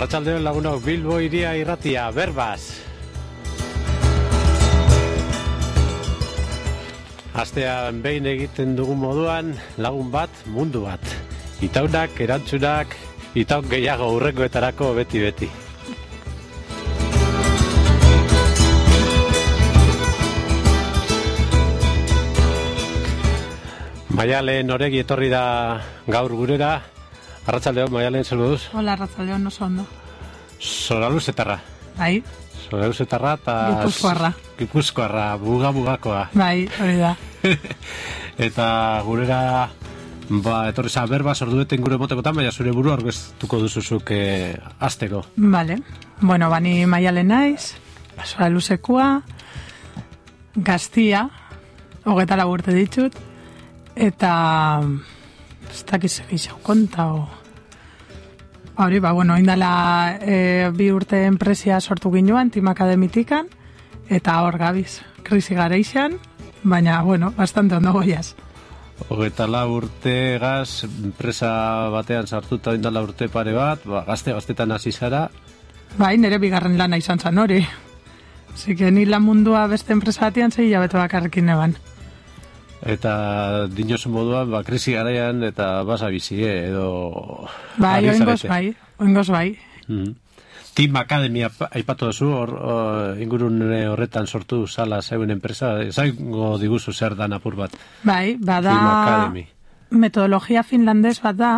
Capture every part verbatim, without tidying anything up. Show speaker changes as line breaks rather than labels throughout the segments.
Arratsaldeon lagunok, Bilbo hiria irratia, berbaz. Astean behin egiten dugun moduan, lagun bat, mundu bat. Itaunak, erantzunak, itaun gehiago hurrengoetarako beti-beti. Maialen Oregi etorri da gaur gurera. Arratsaldeon, Maialen, zer moduz?
Hola, arratsaldeon, oso ondo.
Soraluzetarra.
Bai.
Soraluzetarra eta...
Gipuzkoarra.
Gipuzkoarra, buga-bugakoa.
Bai, hori da.
Eta gurera, ba, etorri za berbaz ordueten gure motekotan, baina zure buru aurkeztuko duzuzuk eh, astero.
Vale. Bueno, bani Maialen naiz, Soraluzekua, Gaztia, hogeta lau urte ditut, eta... ez dakiz egizau konta, o... Hori, ba, bueno, indala e, bi urte enpresia sortu ginuan, Team Academitikan, eta hor gabiz, krisi gareixan, baina, bueno, bastante ondo goiaz.
Hogeta lau urte gaz, enpresa batean sartuta indala urte pare bat, ba, gazte-gaztetan hasi zara.
Bai, nire bigarren lana izan zan hori. Zike, ni lan mundua beste enpresa batean zei jabetu bakarrekin eban.
Eta dinosu moduan, ba, krisi garaian eta basa bizi, eh, edo...
Bai, oingoz bai, oingoz bai.
Mm. Team Academy aipatu duzu, or, or, ingurun horretan sortu zala zeuen enpresa, zaingo diguzu zer dan apur bat.
Bai, bada...
Team Academy.
Metodologia finlandez bat da,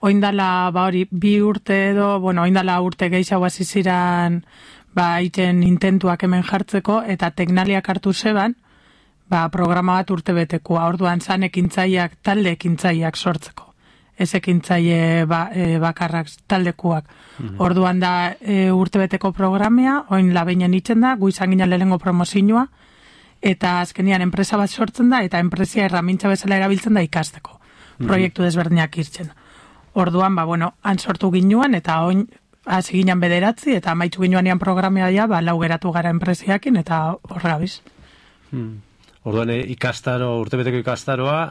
oindala, ba hori, bi urte edo, bueno, oindala urte gehiago hasi ziran, ba, iten intentuak hemen jartzeko, eta teknaliak hartu zeban, ba, programa bat urte betekoa, orduan zan ekintzaiak, talde ekintzaiak sortzeko. Ez ekintzaie ba, e, bakarrak taldekuak. Mm-hmm. Orduan da e, urte beteko programea, oin labeinen itzen da, gu izan ginen lehengo promozioa, eta azkenian enpresa bat sortzen da, eta enpresia erramintza bezala erabiltzen da ikasteko. Mm-hmm. Proiektu desberdinak irtzen. Orduan, ba, bueno, han sortu ginuan, eta oin hasi ginen bederatzi, eta amaitzu ginuan ean programea ja, ba, lau geratu gara enpresiakin, eta horra gabiz.
Mm. Orduan ikastaro, urtebeteko ikastaroa,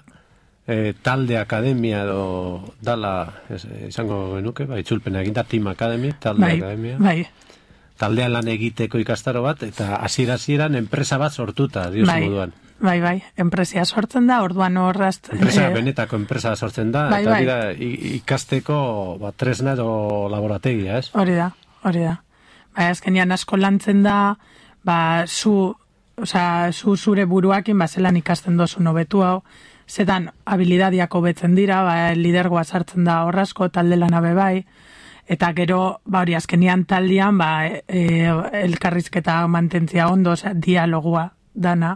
e, talde akademia edo dala, ez, izango genuke, bai, itzulpena eginda, Team Academy, talde
bai,
akademia.
Bai.
Taldean lan egiteko ikastaro bat, eta hasiera-hasieran enpresa bat sortuta, diozu
bai,
moduan.
Bai, bai, enpresia sortzen da, orduan horrast...
Enpresa,
eh,
benetako enpresa sortzen da,
bai,
eta
bai.
dira ikasteko ba, tresna edo laborategia, ez?
Hori da, hori da. Bai, azkenian asko lantzen da, ba, zu... Osa, zu zure buruakin, ba, zelan ikasten dozu nobetu hau, zetan habilidadiak hobetzen dira, ba, lidergoa sartzen da horrazko, talde lanabe bai, eta gero, ba, hori azkenian taldean, ba, e, elkarrizketa mantentzia ondo, oza, dialogua dana,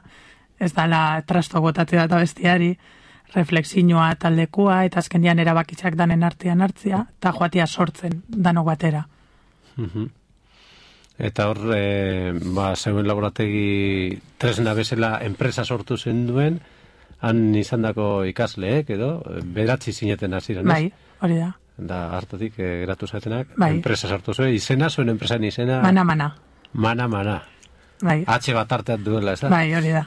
ez dala trasto gotatzea eta bestiari, reflexinoa taldekua, eta azkenian erabakitzak danen artean hartzia, eta joatia sortzen, danok batera.
Mhm. Eta hor, e, ba, zeuen laborategi tresna bezala enpresa sortu zen duen, han izandako ikasleek, edo, beratzi zineten hasieran, ez?
Bai, hori da.
Da, hartatik, e, geratu zatenak,
bai.
Enpresa sortu zuen, izena, zuen enpresan izena...
Mana, mana.
Mana, mana.
Bai.
H bat arteat duela, ez da?
Bai, hori da.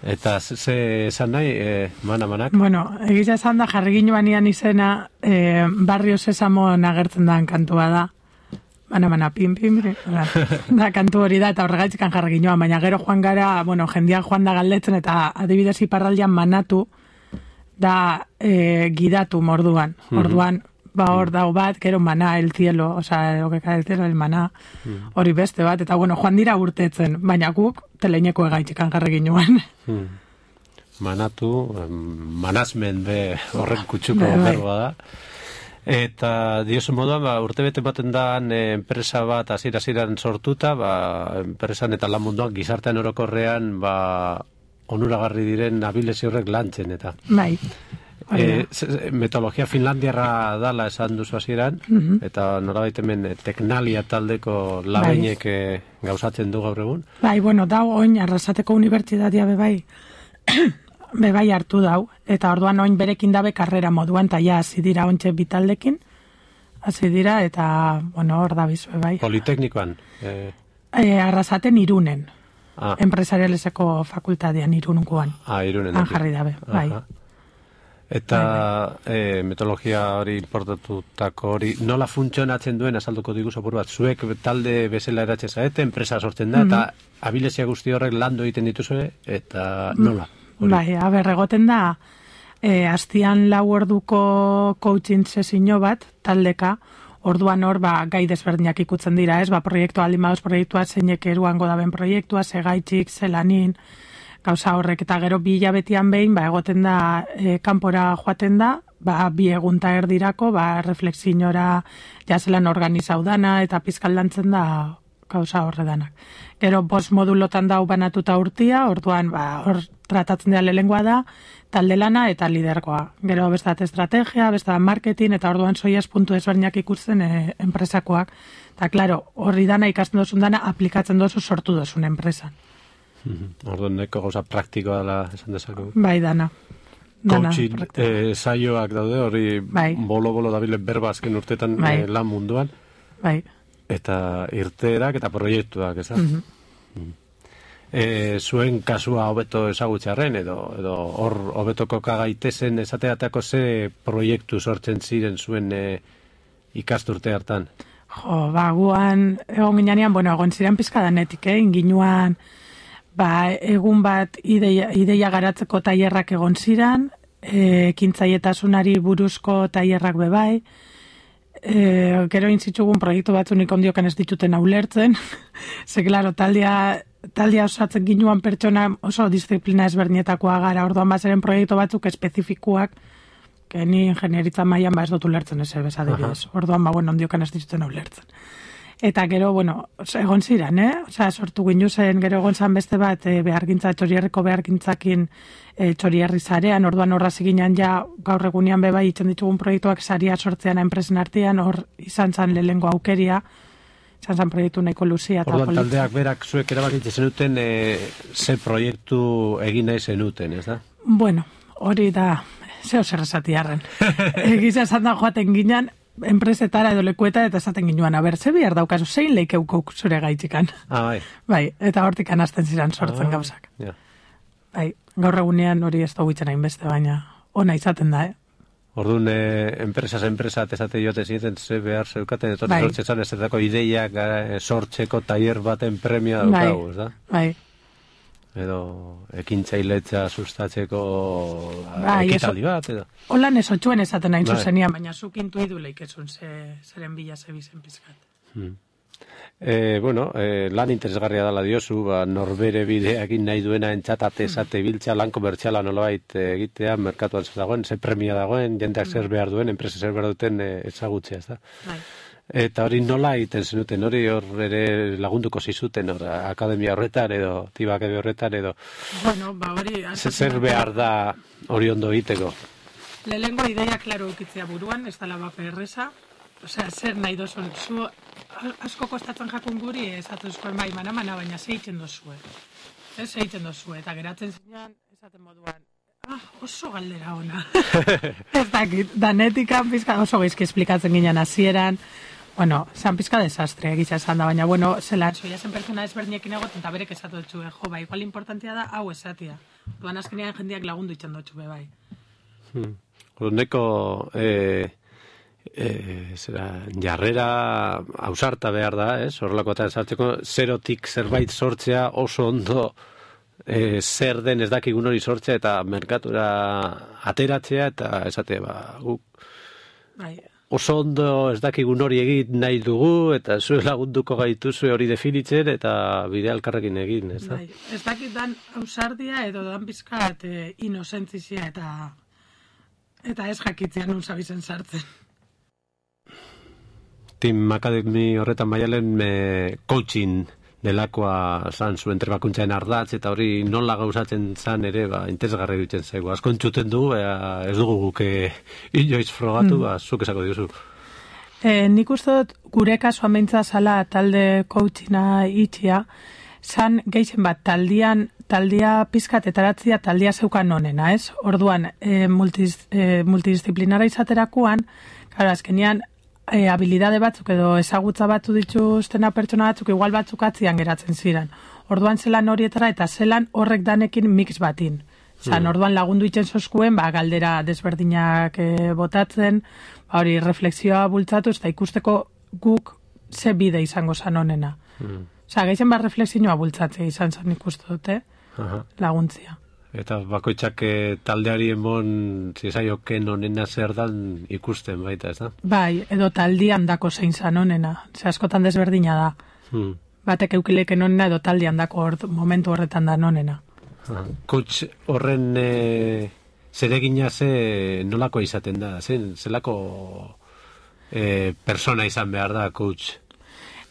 Eta ze esan nahi, e, mana, manak?
Bueno, egiza esan da, jarri ginoan ian izena, e, Barrio Sesamo nagertzen da kantua da. Mana, mana, pin, pin, pin, da, kantu hori da, eta horregaitzikan jarri ginoan, baina gero joan gara, bueno, jendean joan da galdetzen, eta adibidez iparraldean manatu, da e, gidatu morduan. Orduan, ba hor dau bat, gero mana, el cielo, oza, lo que cae el cielo, el mana, hori beste bat, eta bueno, joan dira urtetzen, baina guk teleineko egaitzikan jarri ginoan.
Manatu, manazmen be horren kutsuko berroa da. Eta diosu moduan, ba, urte bete baten da e, enpresa bat hasiera-hasieran sortuta, ba, enpresan eta lan munduan gizartean orokorrean ba, onuragarri diren abilezi horrek lantzen eta.
Bai.
E, metodologia finlandiarra dala esan duzu hasieran, uh-huh. Eta norabait hemen teknalia taldeko labeinek bai. E, gauzatzen du gaur egun.
Bai, bueno, dau oin Arrasateko unibertsitatea bebai bebai hartu dau, eta orduan oin berekin dabe karrera moduan, eta ja, hasi dira ontxe bitaldekin, hasi dira, eta, bueno, hor da bizu, bebai.
Politeknikoan? E...
E, Arrasaten Irunen,
ah.
Enpresarialeseko fakultatean Irunguan.
Ah, Irunen.
Han jarri dabe, bai.
Eta e, metodologia hori importatutako hori, nola funtzionatzen duen azalduko digu zapur bat, zuek talde bezala eratxe zaete, enpresa sortzen da, mm -hmm. eta abilezia guzti horrek landu egiten dituzue, eta nola? Hori?
Bai, aber, egoten da, e, astian lau orduko coaching sesio bat, taldeka, orduan hor, ba, gai desberdinak ikutzen dira, ez, ba, proiektua aldin baduz proiektua, zeinek eruango daben proiektua, zegaitxik, zelanin, gauza horrek, eta gero bi hilabetian behin, ba, egoten da, e, kanpora joaten da, ba, bi egunta erdirako, ba, reflexiñora jazelan organizau dana, eta pizkaldantzen da gauza horredanak. Gero, bost modulotan dau banatuta urtia, orduan, ba, hor tratatzen dira lehengoa da, talde lana eta lidergoa. Gero, bestat estrategia, bestat marketing, eta orduan soiaz puntu ezberdinak ikusten e, enpresakoak. Eta, klaro, horri dana ikasten dozun dana, aplikatzen dozu sortu dozun enpresan.
Orduan, neko gauza praktikoa dela esan dezakegu.
Bai, dana.
Coaching eh, saioak daude, hori bai. bolo-bolo dabile berbazken urtetan bai. eh, lan munduan.
Bai.
Eta irteerak eta proiektuak, ez da? Mm -hmm. e, zuen kasua hobeto ezagutxarren, edo edo hor hobetoko kagaitezen esateatako ze proiektu sortzen ziren zuen e, ikasturte hartan?
Jo, ba, guan, egon ginean, bueno, egon ziren pizkadanetik, eh? Inginuan, ba, egun bat ideia, ideia garatzeko tailerrak egon ziren, e, kintzaietasunari buruzko tailerrak bebai, e, gero intzitzugun proiektu batzunik ondiokan ez dituten ulertzen, ze, klaro, taldea, taldea osatzen ginuan pertsona oso disiplina ezberdinetakoa gara, orduan bazeren proiektu batzuk espezifikuak, que ni ingenieritza mailan ba ez dut ulertzen eze bezadibidez. Orduan, ba, bueno, ondiokan ez dituten ulertzen. Eta gero, bueno, egon ziren, eh? Osea, sortu ginu zen, gero egon zan beste bat, e, behargintza, txorierreko behargintzakin e, txorierri zarean, orduan horra ziginan ja, gaur egunean beba itzen ditugun proiektuak saria sortzean enpresen artean, hor izan zan lehengo aukeria, izan zan proiektu nahiko luzia.
Orduan, taldeak berak zuek erabakitzen zenuten, e, ze proiektu egin nahi zenuten, ez da?
Bueno, hori da, zeo zer esatiarren. Egiza esan da joaten ginen, enpresetara edo lekueta eta esaten ginuan, a ber, ze bihar daukazu, zein leikeukok zure gaitxikan.
Ah, bai.
Bai, eta hortik anazten ziren sortzen ah, gauzak.
Yeah.
Bai, gaur egunean hori ez dugu itzen hainbeste, baina ona izaten da, eh?
Orduan, eh, enpresas enpresa esate jote zineten ze behar zeukaten, etorri bai. Sortzetan ez dako ideiak eh, sortzeko tailer baten premia daukagu,
bai.
ez da?
Bai.
Edo ekintzailetza sustatzeko bai, ekitaldi bat, edo?
Holan ez otxuen esaten hain bai. Zuzenian, baina zuk intuidu leikesun ze, zeren bila zebizen pizkat.
Hmm. E, bueno, e, lan interesgarria dela diozu, ba, norbere bideakin nahi duena entzatate esate biltza, lan komertziala nolabait egitea, merkatuan zer dagoen, ze premia dagoen, jendeak zer behar duen, enpresa zer behar duten e, ezagutzea, ez da?
Bai.
Eta hori nola egiten zenuten, hori hor ere lagunduko zizuten, hor, akademia horretan edo, tibakede horretan edo.
Bueno, ba hori...
Zer behar da hori ondo egiteko?
Lehengo ideia klaro ukitzea buruan, ez dala bape erreza. Osea, zer nahi dozun, zu asko kostatzen jakun guri, esatuzkoen bai, mana-mana, baina zeiten dozue. Ez zeiten dozue, eta geratzen zinean, esaten moduan, ah, oso galdera ona. Ez dakit, danetikan pizka oso geizki esplikatzen ginen hasieran. Bueno, zan pizka desastre egitza esan da, baina, bueno, zelan, soia zen pertsona ezberdinekin egoten, eta berek esatu dutxu, jo, bai, igual importantia da, hau esatia. Duan azkenean jendeak lagundu itxen dutxu, bai.
Hmm. Neko, eh, eh, zera, jarrera ausarta behar da, ez? Horrelako eta esartzeko, zerotik zerbait sortzea oso ondo e, zer den ez dakigun hori sortzea eta merkatura ateratzea eta esate, ba, guk
bai.
Oso ondo ez dakigun hori egin nahi dugu eta zuen lagunduko gaituzue hori definitzen eta bide alkarrekin egin, ez da?
Bai. Ez dakit dan ausardia edo dan pizkat e, inozentzizia eta eta ez jakitzea nun zabizen sartzen.
Team Academy horretan Maialen e, coaching delakoa zan zuen trebakuntzaren ardatz eta hori nola gauzatzen zan ere ba, interesgarri dutzen zaigu. Asko entzuten du, ea, ez dugu guke inoiz frogatu, mm. ba, zuk esako diozu.
E, nik uste dut gure kasua meintza zala talde coachinga itxia, zan geixen bat taldian, taldia pizkat etaratzia taldia zeukan onena, ez? Orduan, e, multiz, e, multidisciplinara izaterakoan, karo, azkenean, E, habilidade batzuk edo ezagutza batzu dituztena pertsona batzuk igual batzuk atzian geratzen ziren. Orduan zelan horietara eta zelan horrek danekin mix batin. Osa, mm. orduan lagundu itzen zoskuen, ba, galdera desberdinak e, botatzen, ba, hori refleksioa bultzatu, eta ikusteko guk ze bide izango zan honena. Mm. Osa, gehien bat refleksioa bultzatzea izan zan ikustu dute, Aha. laguntzia.
Eta bakoitzak taldeari emon zizaioken honena zer dan ikusten baita, ez da?
Bai, edo taldian dako zein zan honena. Ze askotan desberdina da. Hmm. Batek eukileken honena edo taldian dako ord, momentu horretan da honena.
Coach horren e, zeregina ze nolako izaten da? Zen, zelako e, persona izan behar da, coach?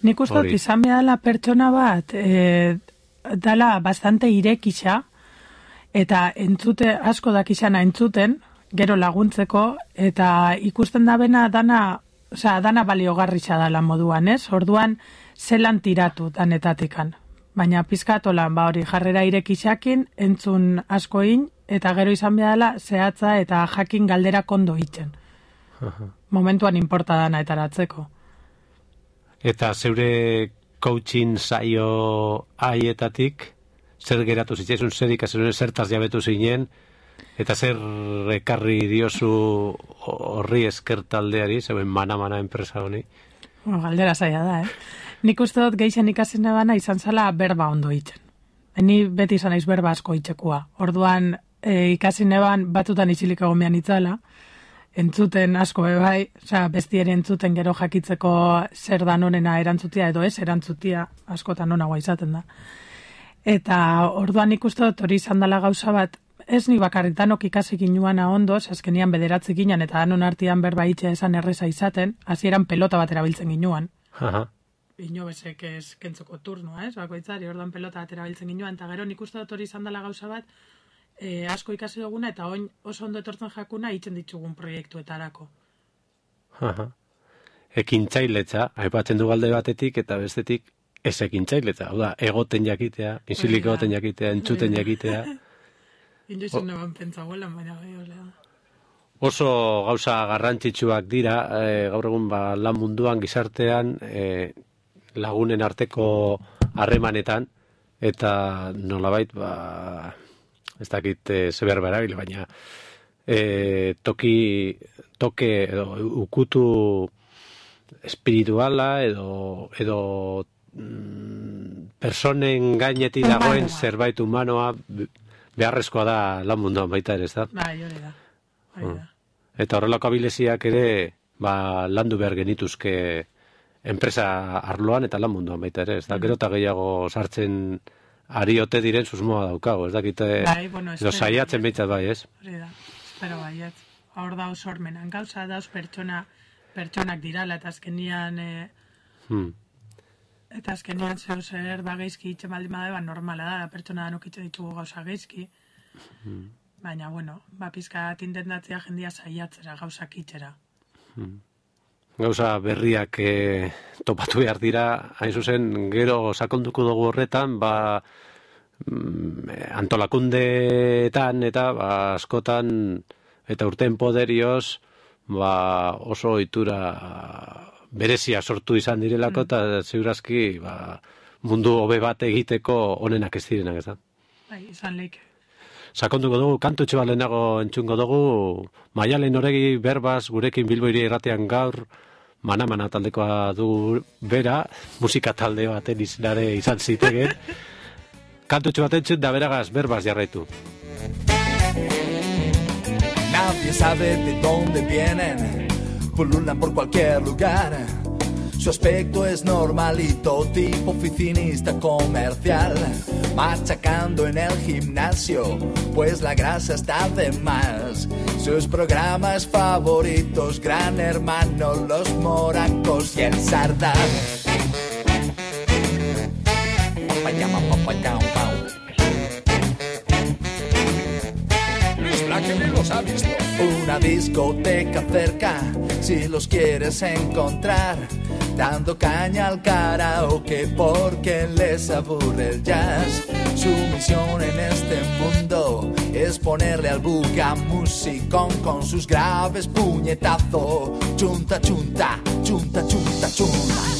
Nik uste dut izan behar la pertsona bat e, dala bastante irekisa, eta entzute asko dakizana entzuten, gero laguntzeko, eta ikusten da bena dana, osea, dana baliogarritza dala moduan, ez? Orduan, zelan tiratu danetatikan. Baina pizkatolan, ba hori, jarrera irekisakin, entzun askoin, eta gero izan behar zehatza eta jakin galdera kondo itzen. Momentuan inporta dana etaratzeko.
Eta zeure coaching saio haietatik, zer geratu zitzaizun, zer ikasuen, zertaz jabetu zinen, eta zer ekarri diozu horri esker taldeari, zeuen mana-mana enpresa honi?
Bueno, galdera zaila da, eh? Nik uste dut geixen ikasen nebana izan zala berba ondo itzen. Ni beti izan naiz berba asko itxekua. Orduan e, ikasi neban batutan itxilik egon behan itzala, entzuten asko bebai, osea, bestiere entzuten gero jakitzeko zer dan honena erantzutia edo ez erantzutia askotan onagoa izaten da. Eta orduan ikuste dut hori izan dela gauza bat, ez ni bakarrik danok ikasi ginuana ondo, azkenian bederatzi ginen eta danon artian berba itxe esan erreza izaten, hasieran pelota bat erabiltzen ginuan.
Aha.
Inobesek ez kentzoko turnoa, ez, bakoitzari, orduan pelota bat erabiltzen ginuan, eta gero nik uste dut hori izan dela gauza bat, e, asko ikasi duguna, eta oin oso ondo etortzen jakuna itzen ditugun proiektuetarako.
Aha. Ekintzailetza, aipatzen du galde batetik eta bestetik ez ekintzailetza, hau da, egoten jakitea, insilik egoten jakitea, entzuten jakitea.
Inoizun neban pentsa guelan, baina gehiolea.
Oso gauza garrantzitsuak dira, e, gaur egun ba, lan munduan, gizartean, e, lagunen arteko harremanetan, eta nolabait, ba, ez dakit e, zeber berabile, baina e, toki, toke, edo, ukutu espirituala, edo, edo mm, personen gainetik dagoen zerbait humanoa, beharrezkoa da lan munduan baita ere, ez da?
Bai, hori da.
Hmm. Eta horrelako abileziak ere ba, landu behar genituzke enpresa arloan eta lan munduan baita ere, ez da? Mm. Gero eta gehiago sartzen ari ote diren susmoa daukago, ez dakite,
bai, bueno,
edo saiatzen behitzat bai, ez?
Hori da, espero baiet. Hor dauz sormenan, gauza dauz pertsona, pertsonak dirala, eta azkenian... E... Hmm. Eta azkenean zeu zer ba geizki itxe baldin badeba normala da, pertsona danok itxe ditugu gauza geizki. Hmm. Baina, bueno, ba pizka tintendatzea jendia saiatzera gauzak itxera.
Hmm. Gauza berriak e, topatu behar dira, hain zuzen, gero sakonduko dugu horretan, ba antolakundeetan eta ba, askotan eta urten poderioz ba, oso ohitura berezia sortu izan direlako, eta mm. ziurazki ba, mundu hobe bat egiteko onenak ez direnak, ez da?
Bai, izan leike.
Sakonduko dugu, kantutxe bat lehenago entzungo dugu, Maialen Oregi berbaz gurekin Bilbo Hiria irratean gaur, mana-mana taldekoa du bera, musika talde baten izinare izan zitegen. Kantutxe bat entzun da beragaz berbaz jarraitu.
Nadie sabe de dónde vienen, pululan por cualquier lugar. Su aspecto es normalito, tipo oficinista comercial, machacando en el gimnasio, pues la grasa está de más. Sus programas favoritos, Gran Hermano, Los Moracos y el Sardán.
Luis Blanque los ha visto.
Una discoteca cerca, si los quieres encontrar, dando caña al karaoke porque les aburre el jazz. Su misión en este mundo es ponerle al buga musicón con sus graves puñetazos. Chunta, chunta, chunta, chunta, chunta.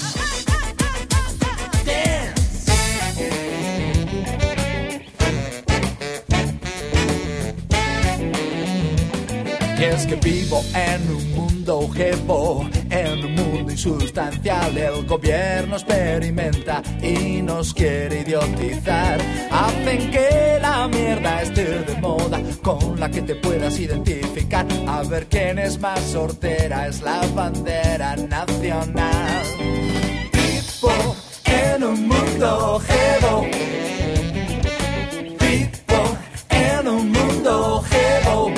Y es que vivo en un mundo jevo, en un mundo insustancial. El gobierno experimenta y nos quiere idiotizar. Hacen que la mierda esté de moda, con la que te puedas identificar. A ver quién es más sortera, es la bandera nacional. Vivo en un mundo jevo, vivo en un mundo jevo.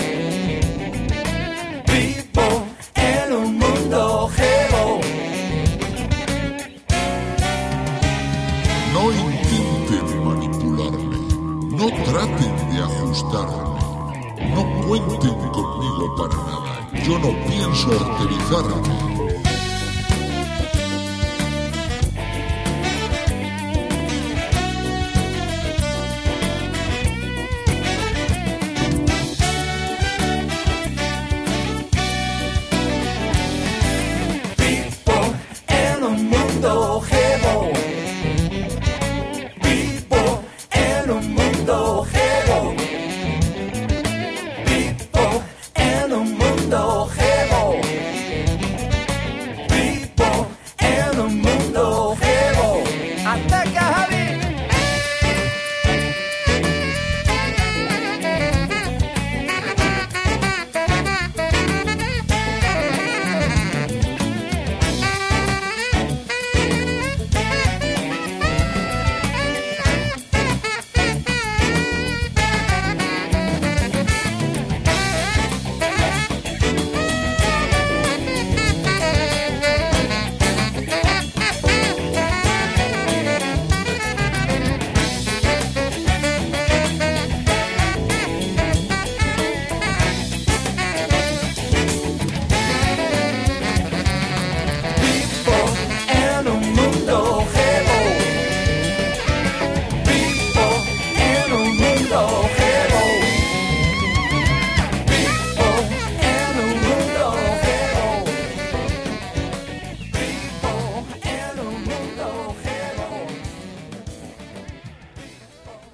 No intenten manipularme, no traten de ajustarme, no cuenten conmigo para nada, yo no pienso arterizarme.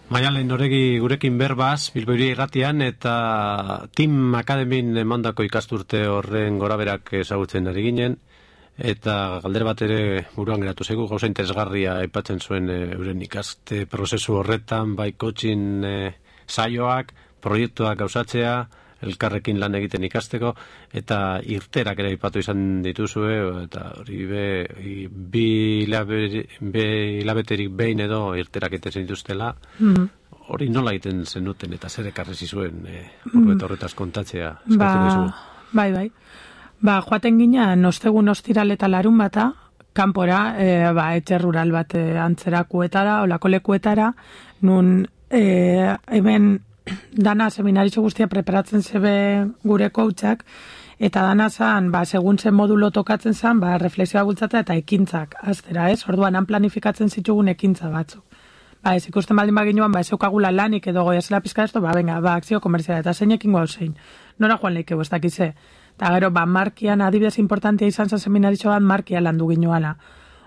Maialen Oregi gurekin berbaz, Bilbo Hiri Irratian, eta Team Akademin emandako ikasturte horren goraberak ezagutzen ari ginen, eta galdera bat ere buruan geratu zaigu, gauza interesgarria aipatzen zuen e, euren ikaste prozesu horretan, bai coaching e, saioak, proiektuak gauzatzea, elkarrekin lan egiten ikasteko, eta irterak ere aipatu izan dituzue, eta hori be, bi hilabeterik behin edo irterak egiten dituztela, mm-hmm. Hori nola egiten zenuten eta zer ekarri zizuen e, mm. horretaz kontatzea?
Ba, bai, bai. Ba, joaten ginen, ostegun ostiral eta larun bata, kanpora, e, ba, etxe rural bat e, antzerakuetara, olako lekuetara, nun e, hemen dana seminaritxo guztia preparatzen zebe gure coachak, eta dana zan, ba, segun zen modulo tokatzen zan, ba, reflexioa bultzata eta ekintzak, aztera, ez? Orduan, han planifikatzen zitugun ekintza batzuk. Ba, ez ikusten baldin baginuan, ba, ez eukagula lanik edo goiazela pizka esto, ba, venga, ba, akzio komerziala, eta zeinekin guau zein. Nora joan leike, ez dakize. Eta gero, ba, markian adibidez importantia izan zen seminaritxo bat, markia landu ginuala.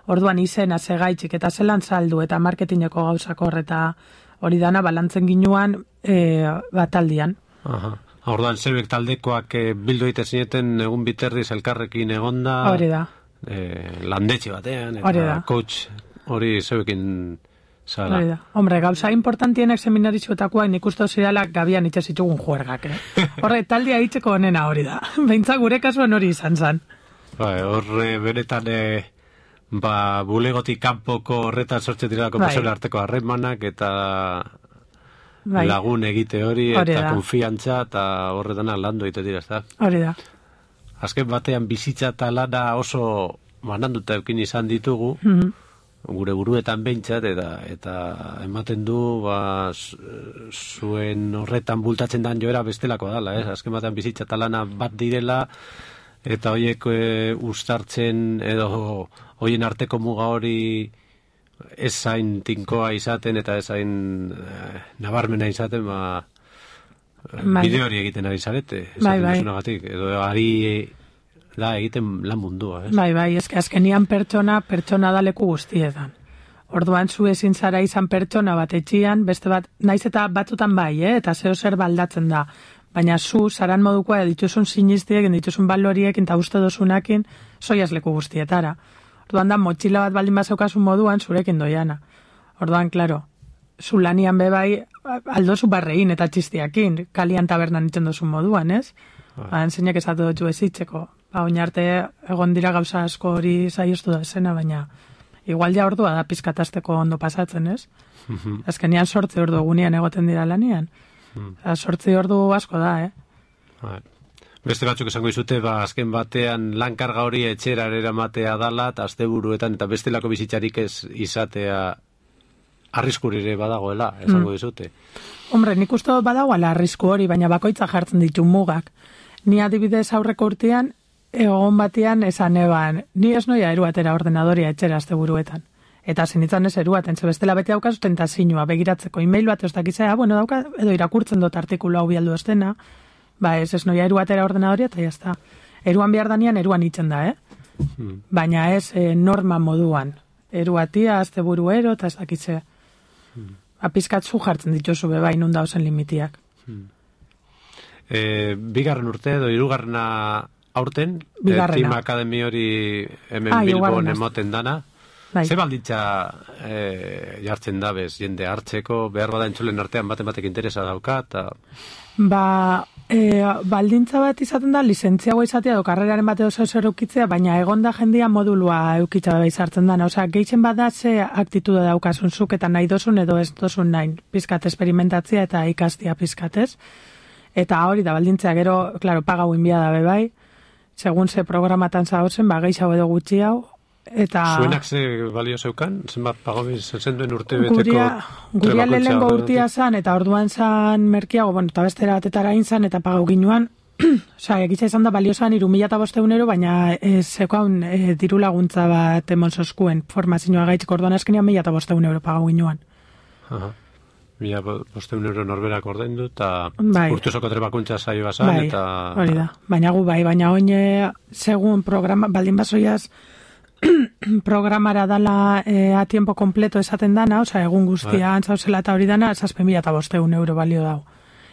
Orduan, izena, segaitxik, eta zelan saldu, eta marketingeko gauzakor, eta hori dana, balantzen ginuan, e, bataldian.
Aha. Orduan, zerbek taldekoak e, bildu egiten zineten, egun biterriz elkarrekin egonda.
Hori da.
E, landetxe batean, eta coach hori zeuekin zala.
Hori da. Hombre, gauza importantienek seminaritxoetakoa nik uste zirala gabian itxe zitugun juergak, eh? Horre, taldea itxeko honena hori da. Beintza gure kasuan hori izan zan.
Ba, horre, benetan, e, ba, bulegotik kanpoko horretan sortzen dira konpersore arteko harremanak eta bai. Lagun egite hori, hori eta da. Konfiantza eta horretana landu egite dira, ez da?
Hori da.
Azken batean bizitza eta lana oso mananduta eukin izan ditugu, mm-hmm. gure buruetan behintzat, eta, eta ematen du, ba, zuen horretan bultatzen dan joera bestelako dala, ez? Azken batean bizitza eta lana bat direla, eta horiek e, ustartzen edo horien arteko muga hori ez zain tinkoa izaten eta ez zain e, nabarmena izaten, ba, bai. Bide hori egiten ari zarete, esaten bai, bai. Edo ari da egiten lan mundua, ez?
Bai, bai, ezke azkenian pertsona, pertsona da leku guztietan. Orduan zu ezin zara izan pertsona bat etxian, beste bat, naiz eta batzutan bai, eh? Eta zeo zer baldatzen da. baina zu, zaran modukoa, dituzun sinistiekin, dituzun baloriekin, eta uste dozunakin, soiaz leku guztietara. Orduan da, motxila bat baldin bazaukasun moduan, zurekin doiana. Orduan, klaro, zu lanian bebai, aldozu barrein eta txistiakin, kalian tabernan itzen dozun moduan, ez? Ba, enzeinak esatu dutxu ezitzeko. Ba, oinarte egon dira gauza asko hori saiostu da esena, baina igual ja ordua da pizkatazteko ondo pasatzen, ez? Mm-hmm. Azkenean sortzi ordu egunean egoten dira lanian. Mm. Sortzi ordu asko da, eh?
Ba. Beste batzuk esango izute, ba, azken batean lankarga hori etxera eramatea dala, eta asteburuetan, eta bestelako bizitzarik ez izatea arriskurire badagoela, esango dizute. Mm.
Hombre, nik uste badagoela arrisku hori, baina bakoitza jartzen ditu mugak. Ni adibidez aurreko urtean, egon batean esan eban, ni ez noia eruatera ordenadoria etxera asteburuetan. Eta zenitzen ez eruaten, ze bestela beti daukazu tentazinua, begiratzeko e-mail bat ez dakizea, bueno, dauka, edo irakurtzen dut artikulu hau bialdu estena, ba ez ez noia eruatera ordenadoria, eta jazta. Eruan behar danian, eruan itzen da, eh? Hmm. Baina ez e, norma moduan. Eruatia, asteburuero, eta ez dakizea. Hmm. Apizkatzu jartzen dituzu beba inunda ozen limitiak. Hmm.
E, bigarren urte edo hirugarrena aurten, Team Akademi hori hemen ah, Bilbon emoten dana. Bai. Ze balditza e, jartzen dabez, jende hartzeko, behar bada entzulen artean baten batek interesa dauka, eta...
Ba, e, baldintza bat izaten da, lizentziagoa izatea edo karreraren bate oso oso eukitzea, baina egonda jendia modulua eukitza da izartzen dana. Osea, gehien bada ze aktitude daukasun zuk eta nahi dozun edo ez dozun nahi. Pizkat esperimentatzia eta ikastia pizkatez. Eta hori da, baldintzea gero, klaro, pagau inbia da bebai, segun ze programatan zahotzen, ba, gehiago edo gutxi hau, eta...
Zuenak ze balio zeukan? Zenbat pagobiz zen duen urte beteko...
Guria, guria lehenengo urtia zan, eta orduan zan merkiago, bueno, eta bestera batetara inzan, eta pagau ginuan, osea, egitza izan da balio zan, iru mila eta bosteunero, baina e, zeukaun e, diru laguntza bat emon zoskuen formazioa gaitziko, orduan azkenean mila eta bosteunero pagau ginuan.
Aha. Mila bosteun euro norberak ordaindu, eta bai. Urtuzoko trebakuntza saio basan,
bai,
eta...
Hori da, baina gu bai, baina oine, segun programa, baldin basoiaz, programara dala e, a tiempo completo esaten dana, oza, egun guztia bai. Antzauzela eta hori dana, zazpen mila eta bosteun euro balio dau.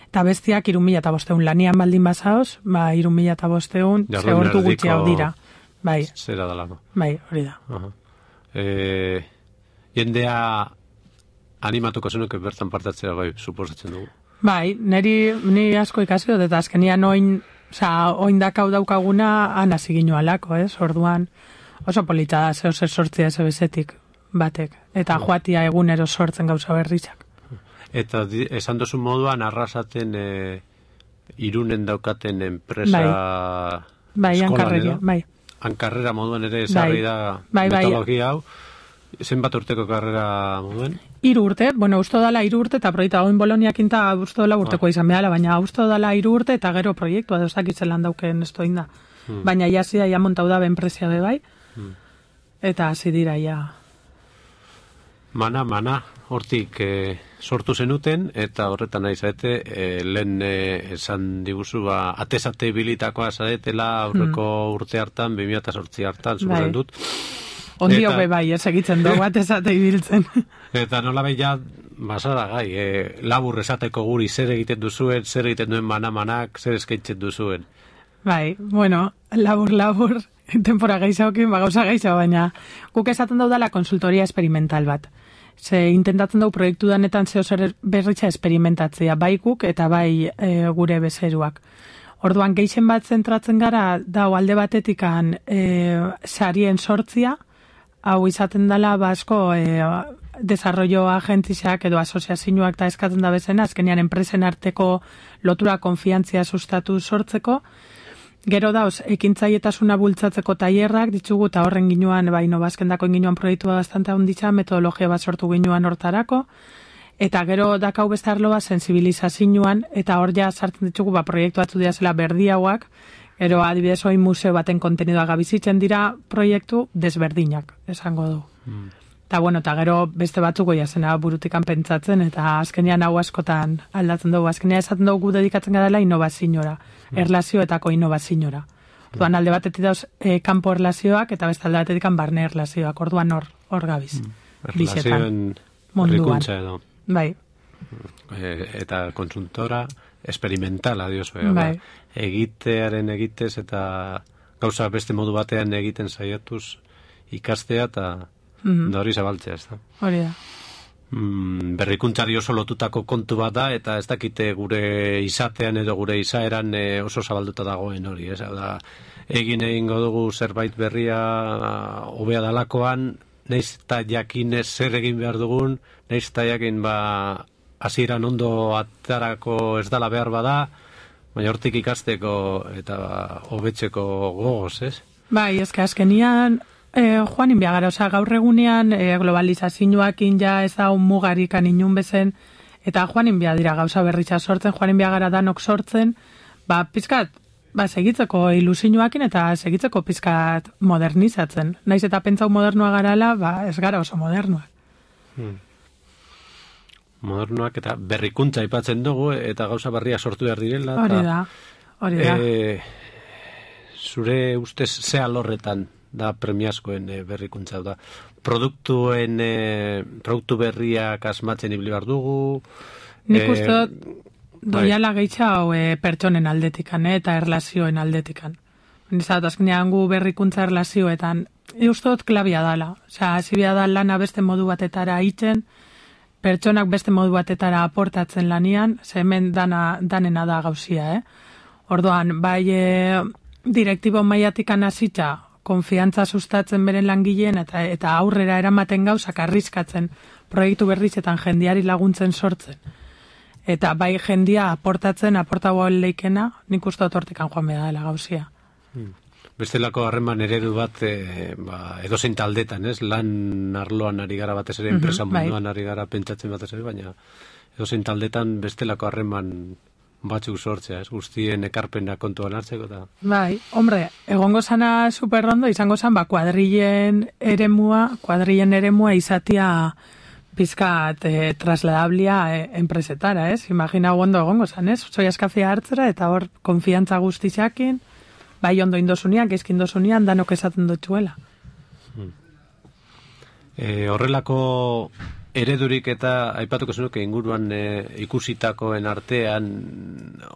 Eta bestiak irun mila eta bosteun lanian baldin bazaoz, ba, irun mila eta bosteun, zehortu gutxi hau dira. Bai.
Zera dalako.
Bai, hori da.
Uh-huh. E, jendea... animatuko zenuke bertan partatzea, bai, suposatzen dugu.
Bai, niri, ni asko ikasi dut, eta azkenian oin, oza, oin dakau daukaguna ana ziginu alako, ez? Orduan, oso polita da, zeo zer sortzia ez bezetik batek, eta no. Joatia egunero sortzen gauza berrizak.
Eta di, esan dozun moduan, arrasaten e, irunen daukaten enpresa
bai, eskolan edo? Bai,
hankarrera moduan ere esarri da bai, metodologia hau. Zenbat urteko karrera moduen?
Hiru urte, bueno, usto dala hiru urte eta proiektua oin Boloniakin ta usto dela urteko izan behala, baina usto dala hiru urte eta gero proiektua da osakitzen lan dauken esto inda. Hmm. Baina ja sia ja montau da enpresia be bai. Hmm. Eta hasi dira ja.
Mana, mana, hortik eh, sortu zenuten eta horretan nahi zaete eh, lehen eh, esan diguzu ba atesate bilitakoa zaretela aurreko hmm. urte hartan bi mila zortzi hartan zuzen dut.
Ondio be bai, ez egitzen dugu bat esate ibiltzen.
Eta nola beha, basada gai, e, labur esateko guri zer egiten duzuen, zer egiten duen mana-manak, zer eskaintzen duzuen.
Bai, bueno, labur, labur, tempora gehiagokin, bagauza gehiago, baina guk esaten daudala konsultoria experimental bat. Ze intentatzen dugu proiektu danetan zeo zer berritza experimentatzea, bai guk eta bai e, gure bezeruak. Orduan, gehien bat zentratzen gara, dau alde batetikan e, sarien sortzia, hau izaten dela basko e, desarrollo agentziak edo asoziazioak eta eskatzen da bezena, azkenean enpresen arteko lotura konfiantzia sustatu sortzeko. Gero dauz, ekintzailetasuna bultzatzeko tailerrak ditugu eta horren ginuan, ba, inobazkendako ginuan proiektua bastante handitza, metodologia bat sortu ginuan hortarako. Eta gero dakau beste arloa sensibilizazioan, eta hor ja sartzen ditugu ba, proiektu batzu dira zela berdiauak, gero adibidez hori museo baten kontenidoa gabizitzen dira proiektu desberdinak, esango du. Mm. Eta bueno, eta gero beste batzuk goia zena burutikan pentsatzen, eta azkenean hau askotan aldatzen dugu. Azkenean esaten dugu dedikatzen garela innovaziora, mm. erlazioetako innovaziora. Orduan alde batetik dauz e, kanpo erlazioak, eta beste alde batetik barne erlazioak, orduan hor, hor gabiz. Mm.
Erlazioen berrikuntza edo.
Bai.
E, eta konsultora experimentala diozu,
bai.
egitearen egitez eta gauza beste modu batean egiten saiatuz ikastea eta mm-hmm. da hori zabaltzea, ez da.
Hori da.
Mm, berrikuntzari oso lotutako kontu bat da, eta ez dakite gure izatean edo gure izaeran e, oso zabalduta dagoen hori, ez da, egin egingo dugu zerbait berria hobea dalakoan, nahiz eta jakin zer egin behar dugun, nahiz eta jakin ba hasieran ondo atarako ez dala behar bada, baina hortik ikasteko eta hobetzeko gogoz, ez?
Bai, ezke azkenian eh, joan inbiagara, oza, gaur egunean eh, globalizazioakin ja ez da un mugarikan inun bezen, eta joan inbia dira gauza berritza sortzen, joan inbiagara danok sortzen, ba, pizkat, ba, segitzeko ilusioakin eta segitzeko pizkat modernizatzen. Naiz eta pentsau modernoa garala, ba, ez gara oso modernoak.
Hmm. Modernoak eta berrikuntza aipatzen dugu eta gauza berria sortu behar direla.
Hori da, hori da.
E, zure ustez ze alorretan da premiazkoen e, berrikuntza da. Produktuen, e, produktu berriak asmatzen ibili behar dugu.
Nik e, uste dut, doiala gehitza hau e, pertsonen aldetikan e, eta erlazioen aldetikan. Nizat, azkenean gu berrikuntza erlazioetan, e, uste dut klabia dala. Osea, zibia da lana beste modu batetara itzen, pertsonak beste modu batetara aportatzen lanian, ze hemen dana, danena da gauzia, eh? Orduan, bai e, direktibo maiatikan hasita konfiantza sustatzen beren langileen eta eta aurrera eramaten gauzak arriskatzen proiektu berrizetan jendiari laguntzen sortzen. Eta bai jendia aportatzen, aportagoa leikena, nik uste dut hortikan joan behar dela gauzia.
Hmm. Bestelako harreman eredu bat e, ba, edozein taldetan, ez? Lan arloan ari gara batez ere, enpresa mm-hmm, munduan bai. Ari gara pentsatzen batez ere, baina edozein taldetan bestelako harreman batzuk sortzea, ez? Guztien ekarpena kontuan hartzeko eta...
Bai, hombre, egongo zana superrondo, izango zan, ba, kuadrillen eremua, kuadrillen eremua izatia pizkat e, trasladablia e, enpresetara, ez? Imagina ondo egongo zan, ez? Soiaz kafea hartzera eta hor konfiantza guztizakin, bai ondo indosunian, geizki indosunian, danok esaten dutxuela.
Hmm. E, horrelako eredurik eta aipatuko zenuke inguruan e, ikusitakoen artean,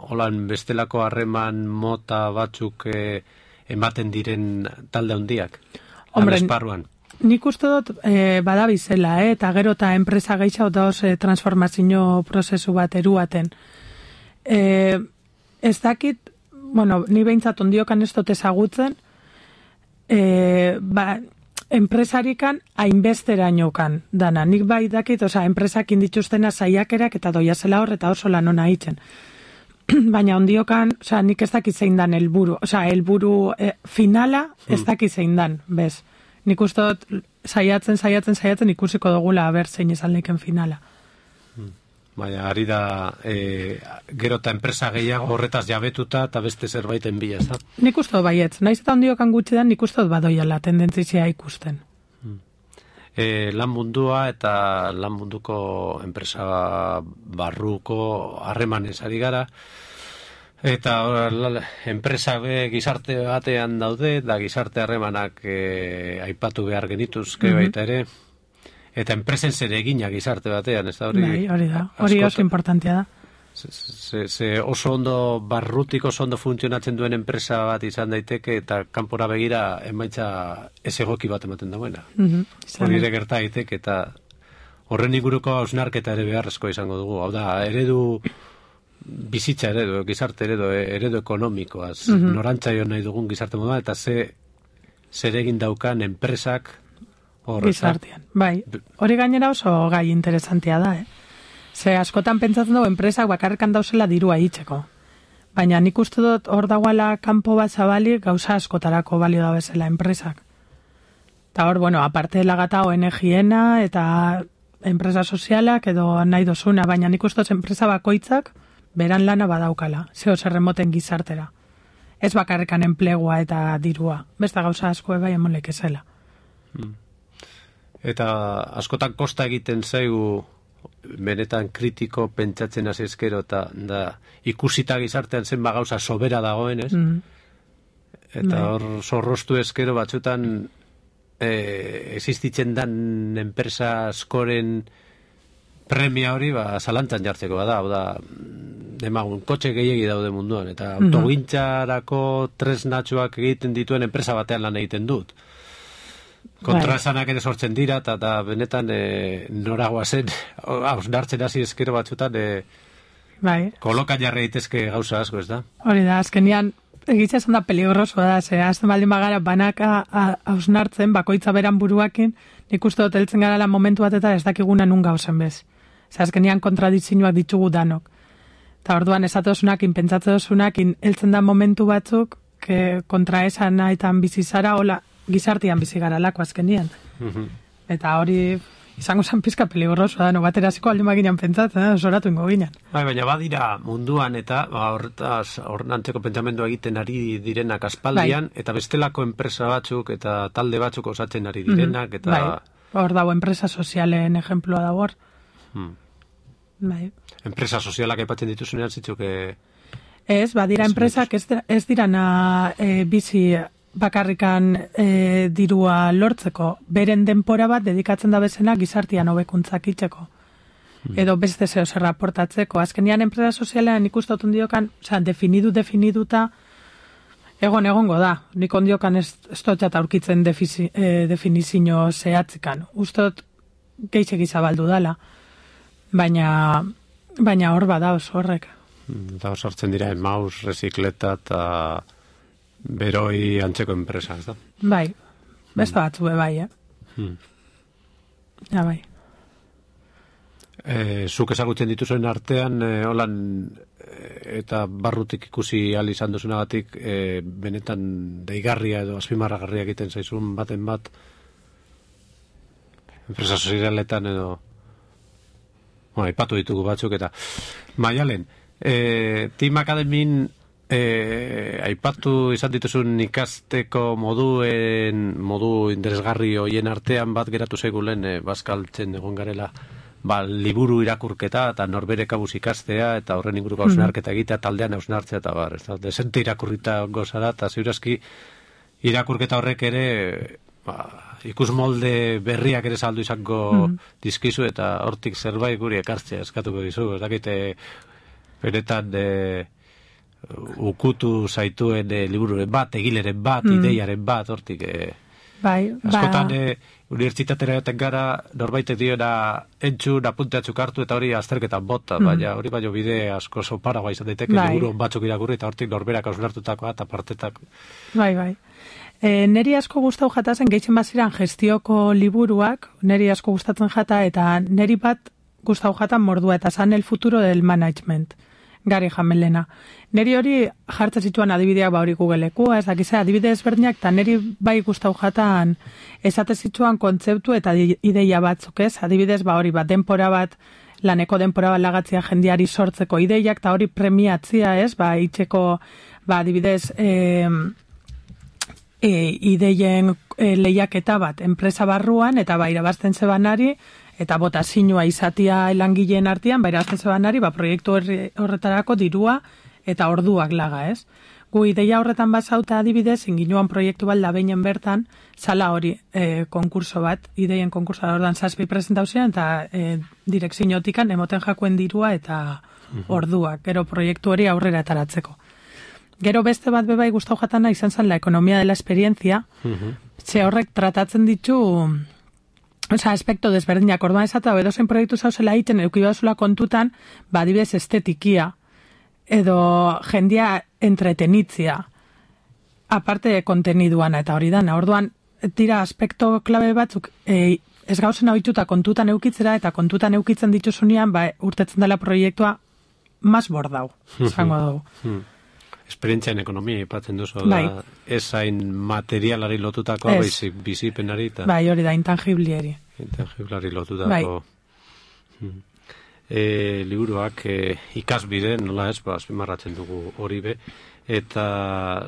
holan bestelako harreman mota batzuk e, ematen diren talde handiak,
Hombre,
esparruan.
Nik uste dut e, badabizela, eh? Eta gero eta enpresa gehiago da oso transformazio prozesu bat eruaten. E, ez dakit, bueno, ni behintzat ondiokan ez dut ezagutzen, e, ba, enpresarikan hainbesterainokan dana. Nik bai dakit, oza, enpresakin dituztena saiakerak eta doia zela hor eta oso lan ona hitzen. Baina ondiokan, oza, nik ez dakit zein dan helburu, oza, helburu e, finala ez dakit zein dan, bez. Nik uste dut saiatzen, saiatzen, saiatzen ikusiko dugula aber zein izan leiken finala.
Baina, ari da, e, gero eta enpresa gehiago horretaz jabetuta eta beste zerbaiten bila, ez da? Nik
uste dut baietz, naiz eta ondiokan gutxi da, nik uste dut badoiala tendentzia ikusten.
E, lan mundua eta lan munduko enpresa barruko harremanez ari gara, eta or, enpresa be, gizarte batean daude, da gizarte harremanak e, aipatu behar genituzke mm-hmm. baita ere, eta enpresen zer egina gizarte batean, ez da hori?
Bai, hori da, hori oso importantea da.
Ze, ze oso ondo barrutik oso ondo funtzionatzen duen enpresa bat izan daiteke eta kanpora begira emaitza ez egoki bat ematen dagoena. Mm-hmm. Hori ere gerta daiteke eta horren inguruko hausnarketa ere beharrezko izango dugu. Hau da, eredu bizitza eredu, gizarte eredu, eredu ekonomikoaz, mm-hmm. norantzaio nahi dugun gizarte moduan eta ze zer egin daukan enpresak
gizartean. Bai, hori gainera oso gai interesantea da, eh? Ze askotan pentsatzen dugu enpresak bakarrekan dauzela dirua hitzeko. Baina nik uste dut hor dagoela kanpo bat zabali gauza askotarako balio da bezala enpresak. Eta hor, bueno, aparte lagata O N G-ena eta enpresa sozialak edo nahi dozuna, baina nik uste dut enpresa bakoitzak beran lana badaukala, zeo zerremoten gizartera. Ez bakarrekan enplegua eta dirua. Besta gauza asko bai emolek ezela.
Hmm. Eta askotan kosta egiten zaigu benetan kritiko pentsatzen hasi ezkero eta da, ikusita gizartean zenba gauza sobera dagoen, ez? Mm. Eta hor zorrostu ezkero batzutan e, existitzen dan enpresa askoren premia hori ba, zalantzan jartzeko bada, da, demagun, kotxe gehiegi daude munduan, eta autogintzarako tresnatxoak egiten dituen enpresa batean lan egiten dut. Kontraesanak ere sortzen dira, eta, eta benetan e, noragoa zen, hausnartzen hasi ezkero batzutan, e,
bai.
Kolokan jarri daitezke gauza asko, ez da?
Hori da, azkenian, egitza esan da peligrosoa da, ze, azten baldin bagara banaka hausnartzen, bakoitza beran buruakin, nik uste dut heltzen gara lan momentu bat eta ez dakiguna nun gauzen bez. Ze, azkenian kontradizioak ditugu danok. Eta orduan esatosunakin, pentsatzeosunakin, heltzen da momentu batzuk, que kontraesanaetan bizi zara, hola, gizartian bizi gara lako azkenian. Mm-hmm. Eta hori izango zen pizka peligrosoa da, no bateraziko aldi maginan pentsatzen, zoratu ingo ginen.
Bai, baina badira munduan eta ba, horretaz horrenantzeko pentsamendua egiten ari direnak aspaldian, bai. Eta bestelako enpresa batzuk eta talde batzuk osatzen ari direnak. Eta...
Bai, hor dago enpresa sozialen ejemploa dago hor. Hmm. Bai.
Enpresa sozialak aipatzen dituzunean zitzuk...
Ez, badira enpresak ez, ez dirana e, bizi... bakarrikan e, dirua lortzeko, beren denpora bat dedikatzen da bezena gizartian hobekuntzak itzeko. Hmm. Edo beste zeo zer raportatzeko. Azkenian enpresa sozialean ikustotun diokan, oza, definidu, definiduta, egon egongo da. Nik ondiokan ez, ez dutxat aurkitzen defizi, e, definizio zehatzikan. Ustot geixek izabaldu dala. Baina, baina hor bada oso horrek.
Eta hor sartzen dira, emaus, rezikleta eta... beroi antzeko enpresa, ez da?
Bai, beste batzu be bai, eh? Hmm. Ja, bai.
E, zuk ezagutzen dituzuen artean, e, holan, e, eta barrutik ikusi ahal izan duzunagatik, e, benetan deigarria edo azpimarragarria egiten zaizun baten bat, enpresa sozialetan edo, bueno, ipatu ditugu batzuk, eta Maialen, e, Team Academin E, aipatu izan dituzun ikasteko moduen, modu interesgarri hoien artean bat geratu zeigulen e, bazkaltzen egon garela ba, liburu irakurketa eta norbere kabuz ikastea eta horren inguruko hausnarketa egitea taldean hausnartzea eta bar, ez da, desente irakurrita gozara eta ziurazki irakurketa horrek ere ba, ikus molde berriak ere saldu izango mm. dizkizu eta hortik zerbait guri ekartzea eskatuko dizu, ez dakite benetan de ukutu zaituen e, libururen bat, egileren bat, mm. ideiaren bat, hortik. E,
bai,
askotan, ba... e, unibertsitatera joten gara, norbaitek diona entzun, apunteatzuk hartu, eta hori azterketan bota, mm. baina hori baino bide asko soparagoa izan daiteke, bai. Liburu batzuk irakurri, eta hortik norberak hausnartutakoa, eta partetak.
Bai, bai. E, neri asko gustau jatazen, gehitzen baziran gestioko liburuak, neri asko gustatzen jata, eta neri bat gustau jatan mordua, eta zan el futuro del management. Gari Jamelena. Neri hori jartzen zituan adibideak ba hori Googleeko, ez dakize adibide ezberdinak, eta neri bai gustau jatan esate zituan kontzeptu eta ideia batzuk, ez? Adibidez, ba hori bat denpora bat, laneko denpora bat lagatzea jendiari sortzeko ideiak, eta hori premiatzia, ez? Ba, itxeko, ba, adibidez, e, e, ideien e, lehiaketa bat, enpresa barruan, eta ba, irabazten zebanari, eta botazioa izatia langileen artean, baina azten zebanari, ba, proiektu horretarako dirua eta orduak laga, ez? Gu ideia horretan basauta adibidez, inginuan proiektu bat labeinen bertan, zala hori e, konkurso bat, ideien konkurso da ordan zazpi presentauzean, eta e, direkziotikan emoten jakuen dirua eta orduak, gero proiektu hori aurrera ataratzeko. Gero beste bat bebai gustau jatana izan zen la ekonomia de la experiencia, ze horrek tratatzen ditu... Osa, aspekto desberdinak, orduan esata, edozen proiektu zauzela egiten, eukibazula kontutan, ba, adibidez estetikia, edo jendia entretenitzia, aparte de konteniduana, eta hori dana, orduan, tira aspekto klabe batzuk, e, ez gauzen hauituta kontutan eukitzera, eta kontutan eukitzen dituzunean, ba, urtetzen dela proiektua, mas bordau, zango dugu.
Esperientzia en ekonomia ipatzen duzu, bai. Da, ez hain materialari lotutako, baizik bizipenari. Ta...
Bai, hori da, intangibliari.
Intangiblari lotutako. Bai. E, liburuak e, ikasbide, nola ez, ba, azpimarratzen dugu hori be, eta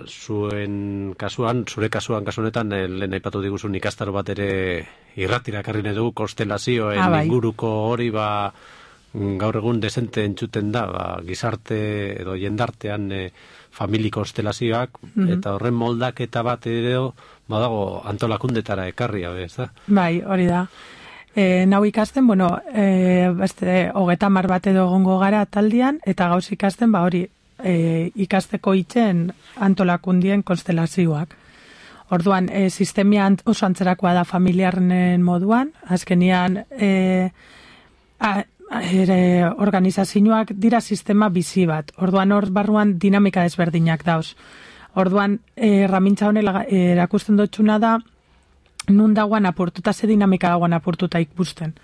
zuen kasuan, zure kasuan, kasuanetan, e, lehen aipatu diguzun ikastaro bat ere irratira karri nahi dugu, konstelazioen ah, bai. Inguruko hori, ba, gaur egun desente entzuten da, ba, gizarte edo jendartean e, familiko konstelazioak, mm-hmm. eta horren moldaketa bat edo badago antolakundetara ekarria, ez da?
Bai, hori da. E, nau ikasten, bueno, e, beste, hogeta mar bat edo egongo gara taldian, eta gauz ikasten, ba hori, e, ikasteko itzen antolakundien konstelazioak. Orduan, e, sistemia oso antzerakoa da familiarren moduan, azkenian e, a, ere, organizazioak dira sistema bizi bat. Orduan, hor barruan dinamika ezberdinak dauz. Orduan, e, ramintza honela erakusten dutxuna da, nun dagoan apurtuta, ze dinamika dagoan apurtuta ikusten.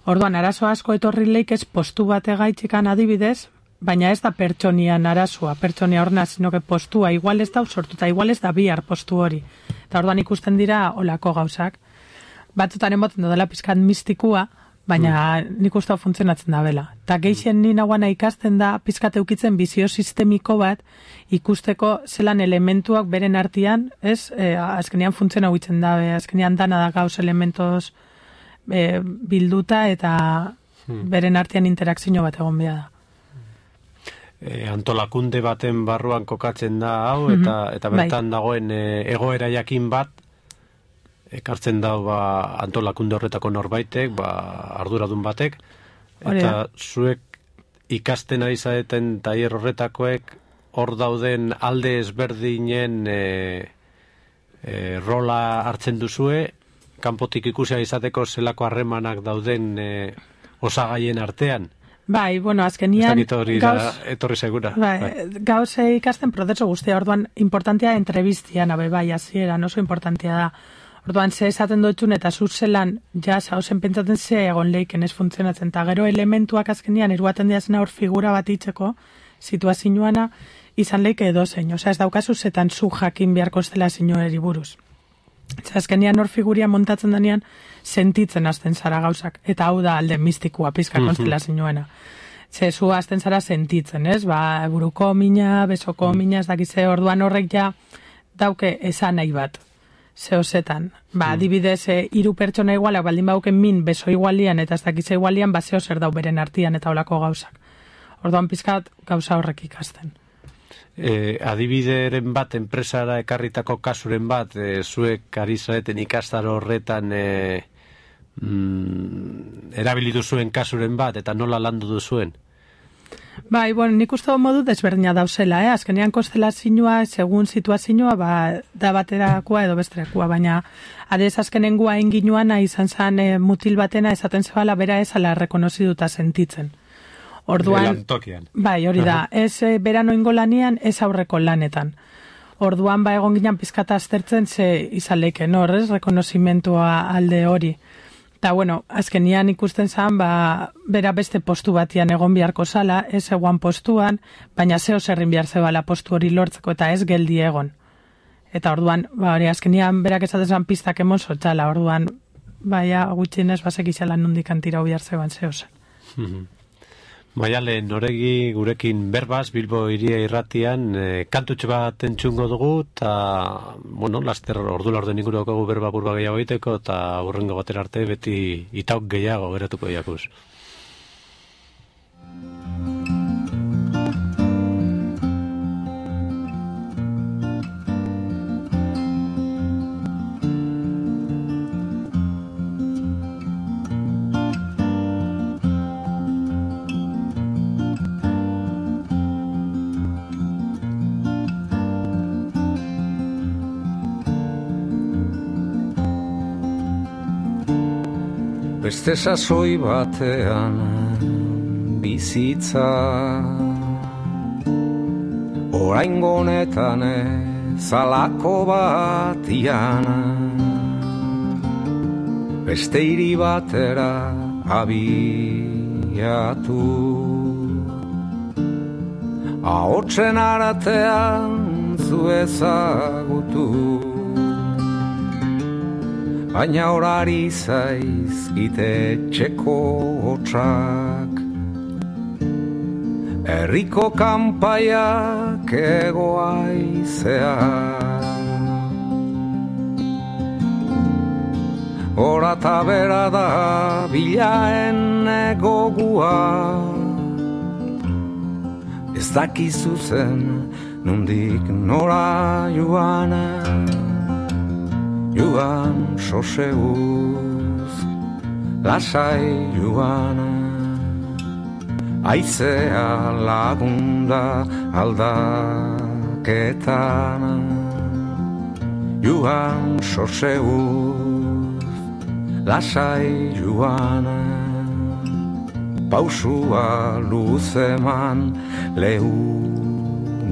Orduan, arazo asko etorri leik ez postu bat egaitxikan adibidez, baina ez da pertsonian arazoa, pertsonia horna, sinoke postua, igual ez da sortuta, igual ez da bihar postu hori. Eta orduan ikusten dira olako gauzak. Batzutan emoten dela pizkat mistikua, baina mm. nik uste funtzionatzen da bela. Eta geixen ni nagoana ikasten da pizkat eukitzen bizio sistemiko bat ikusteko zelan elementuak beren artean, ez, e, azkenean funtziona huitzen da, e, azkenean dana da gauz elementos e, bilduta eta mm. beren artean interakzio bat egon behar da.
E, antolakunde baten barruan kokatzen da hau, eta, mm-hmm. eta bertan bai. Dagoen e, egoera jakin bat, ekartzen da ba, antolakunde horretako norbaitek, ba, arduradun batek, eta Orea. Zuek ikasten ari zaeten tailer horretakoek hor dauden alde ezberdinen e, e, rola hartzen duzue, kanpotik ikusia izateko zelako harremanak dauden e, osagaien artean.
Bai, bueno, azkenian
gauz, etorri segura.
Bai, bai. Gauz ikasten prozesu guztia, orduan importantea entrevistian, abe, bai, azieran, oso importantea da. Orduan, ze esaten dutxun eta zuzelan, ja, hausen pentsatzen ze egon leiken ez funtzionatzen, eta gero elementuak azkenian eruaten diazena hor figura bat itxeko, situazioana, izan leike edo zein, osea, ez daukazu zetan zu jakin beharko zela zinueri buruz. Eta azkenian hor figuria montatzen denean, sentitzen hasten zara gauzak, eta hau da alde mistikua, pizka konstela zinuena. Ze zu hasten zara sentitzen, ez? Ba, buruko mina, besoko mina, ez dakize, orduan horrek ja dauke esan nahi bat. Zeozetan. Ba, adibidez, e, hiru pertsona igualak, baldin bauken min, beso igualian, eta ez dakize igualian, ba, zeo zer dau beren artian eta olako gauzak. Orduan pizkat gauza horrek ikasten.
E, adibideren bat, enpresara ekarritako kasuren bat, e, zuek ari zareten ikastaro horretan e, mm, erabilitu zuen kasuren bat, eta nola landu duzuen?
Bai, bueno, nik uste modu desberdina dauzela, eh? Azkenean konstelazioa, segun situazioa, ba, da baterakoa edo besterakoa, baina adez azkenengua enginuana izan zen e, mutil batena esaten zebala bera ezala rekonoziduta sentitzen. Orduan, bai, hori da, ez e, bera noingo lanian, ez aurreko lanetan. Orduan, ba, egon ginen pizkata aztertzen ze izan leiken, horrez, rekonozimentua alde hori. Eta, bueno, azkenian ikusten zen, ba, bera beste postu batian egon beharko zala, ez eguan postuan, baina zeo zerrin behar zebala postu hori lortzeko eta ez geldi egon. Eta orduan, ba, hori, azkenian berak esaten zen pistak emon zotxala, orduan, baina gutxienez basek izala nundik antira behar zeban zeo zen.
Mm-hmm. Maiale, noregi gurekin berbaz, Bilbo Hiria Irratian, e, kantutxe bat entzungo dugu, eta, bueno, laster ordu laurden inguroko berba burba gehiago egiteko, eta hurrengo batera arte beti itauk gehiago geratuko jakuz.
Beste sasoi batean bizitza oraingo honetan zalako batian beste hiri batera abiatu ahotsen aratean zu ezagutu baina horari zaizkite txeko hotxak herriko kanpaiak egoaizea hora eta bera da bilaen egogua ez dakizu zen nondik nora joan joan soseuz lasai joan, aizea lagunda aldaketan, joan soseguz, lasai joan, pausua luzeman lehunean.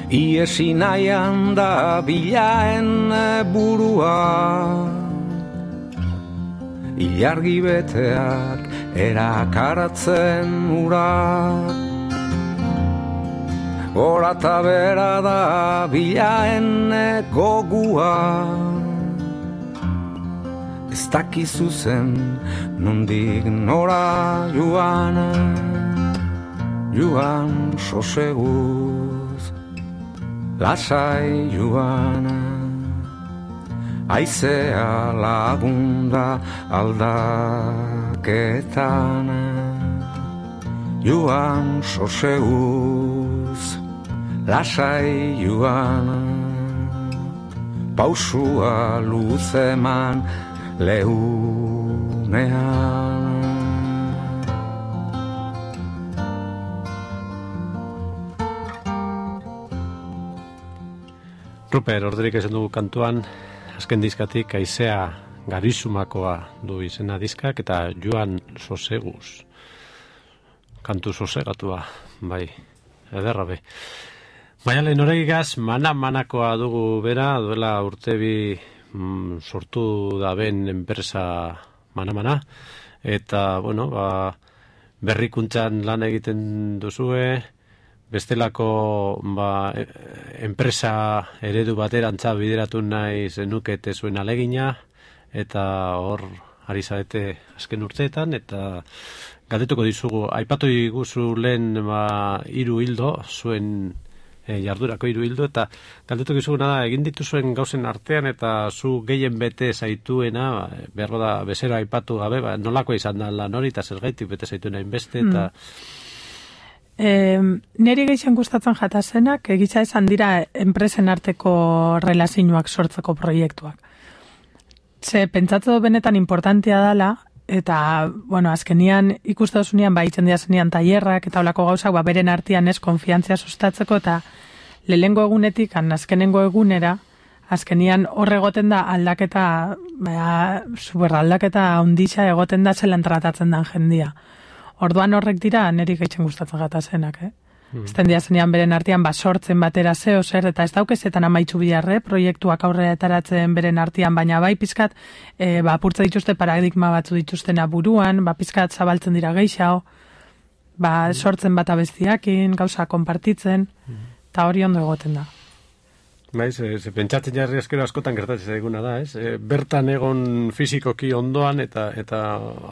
Iesi nahian da bilaen burua, ilargi beteak erakaratzen ura. Gora eta bera da bilaen gogua, ez dakizu zen nondik nora joan, joan soseguz. Lasai joan, aizea lagunda aldaketan, joan soseguz, lasai joan, pausua luzeman lehunean.
Ruper, orderik esan dugu kantuan, azken diskatik aizea garizumakoa du izena diskak, eta joan soseguz. Kantu sosegatua, bai, ederra be. Maialen Oregigaz, mana-manakoa dugu bera, duela urtebi mm, sortu da ben enpresa mana-mana, eta, bueno, ba, berrikuntzan lan egiten duzue, bestelako ba, enpresa eredu baterantza bideratu nahi zenukete zuen alegina, eta hor ari zarete azken urteetan, eta galdetuko dizugu, aipatu diguzu lehen ba, hiru hildo, zuen e, jardurako hiru hildo, eta galdetuko dizuguna da, egin dituzuen gauzen artean, eta zu gehien bete zaituena, ba, behar da bezero aipatu gabe, ba, nolako izan da lan hori, eta zergaitik bete zaituena inbeste, eta... Mm.
E, neri gehien gustatzen jatazenak, egitza esan dira enpresen arteko relazioak sortzeko proiektuak. Ze, pentsatu benetan importantia dela, eta, bueno, azkenian ikustazunean, ba, itzen diazenean tailerrak, eta olako gauzak, ba, beren artean ez konfiantzia sustatzeko, eta lehengo egunetik, azkenengo egunera, azkenian horre egoten da aldaketa, ba, super aldaketa ondisa egoten da zelan tratatzen den jendia. Orduan horrek dira, niri gaitzen gustatzen gatazenak, eh? Mm. Ezten diazenean beren artean, ba, sortzen batera zeo zer, eta ez daukezetan amaitzu biharre, proiektuak aurrera etaratzen beren artean, baina bai pizkat, e, ba, apurtza dituzte paradigma batzu dituztena buruan, ba, pizkat zabaltzen dira gehiago, ba, sortzen bat abestiakin, gauza konpartitzen, eta hori ondo egoten da.
Bai, ze, ze pentsatzen jarri askero askotan gertatzen eguna da, ez? E, bertan egon fizikoki ondoan eta eta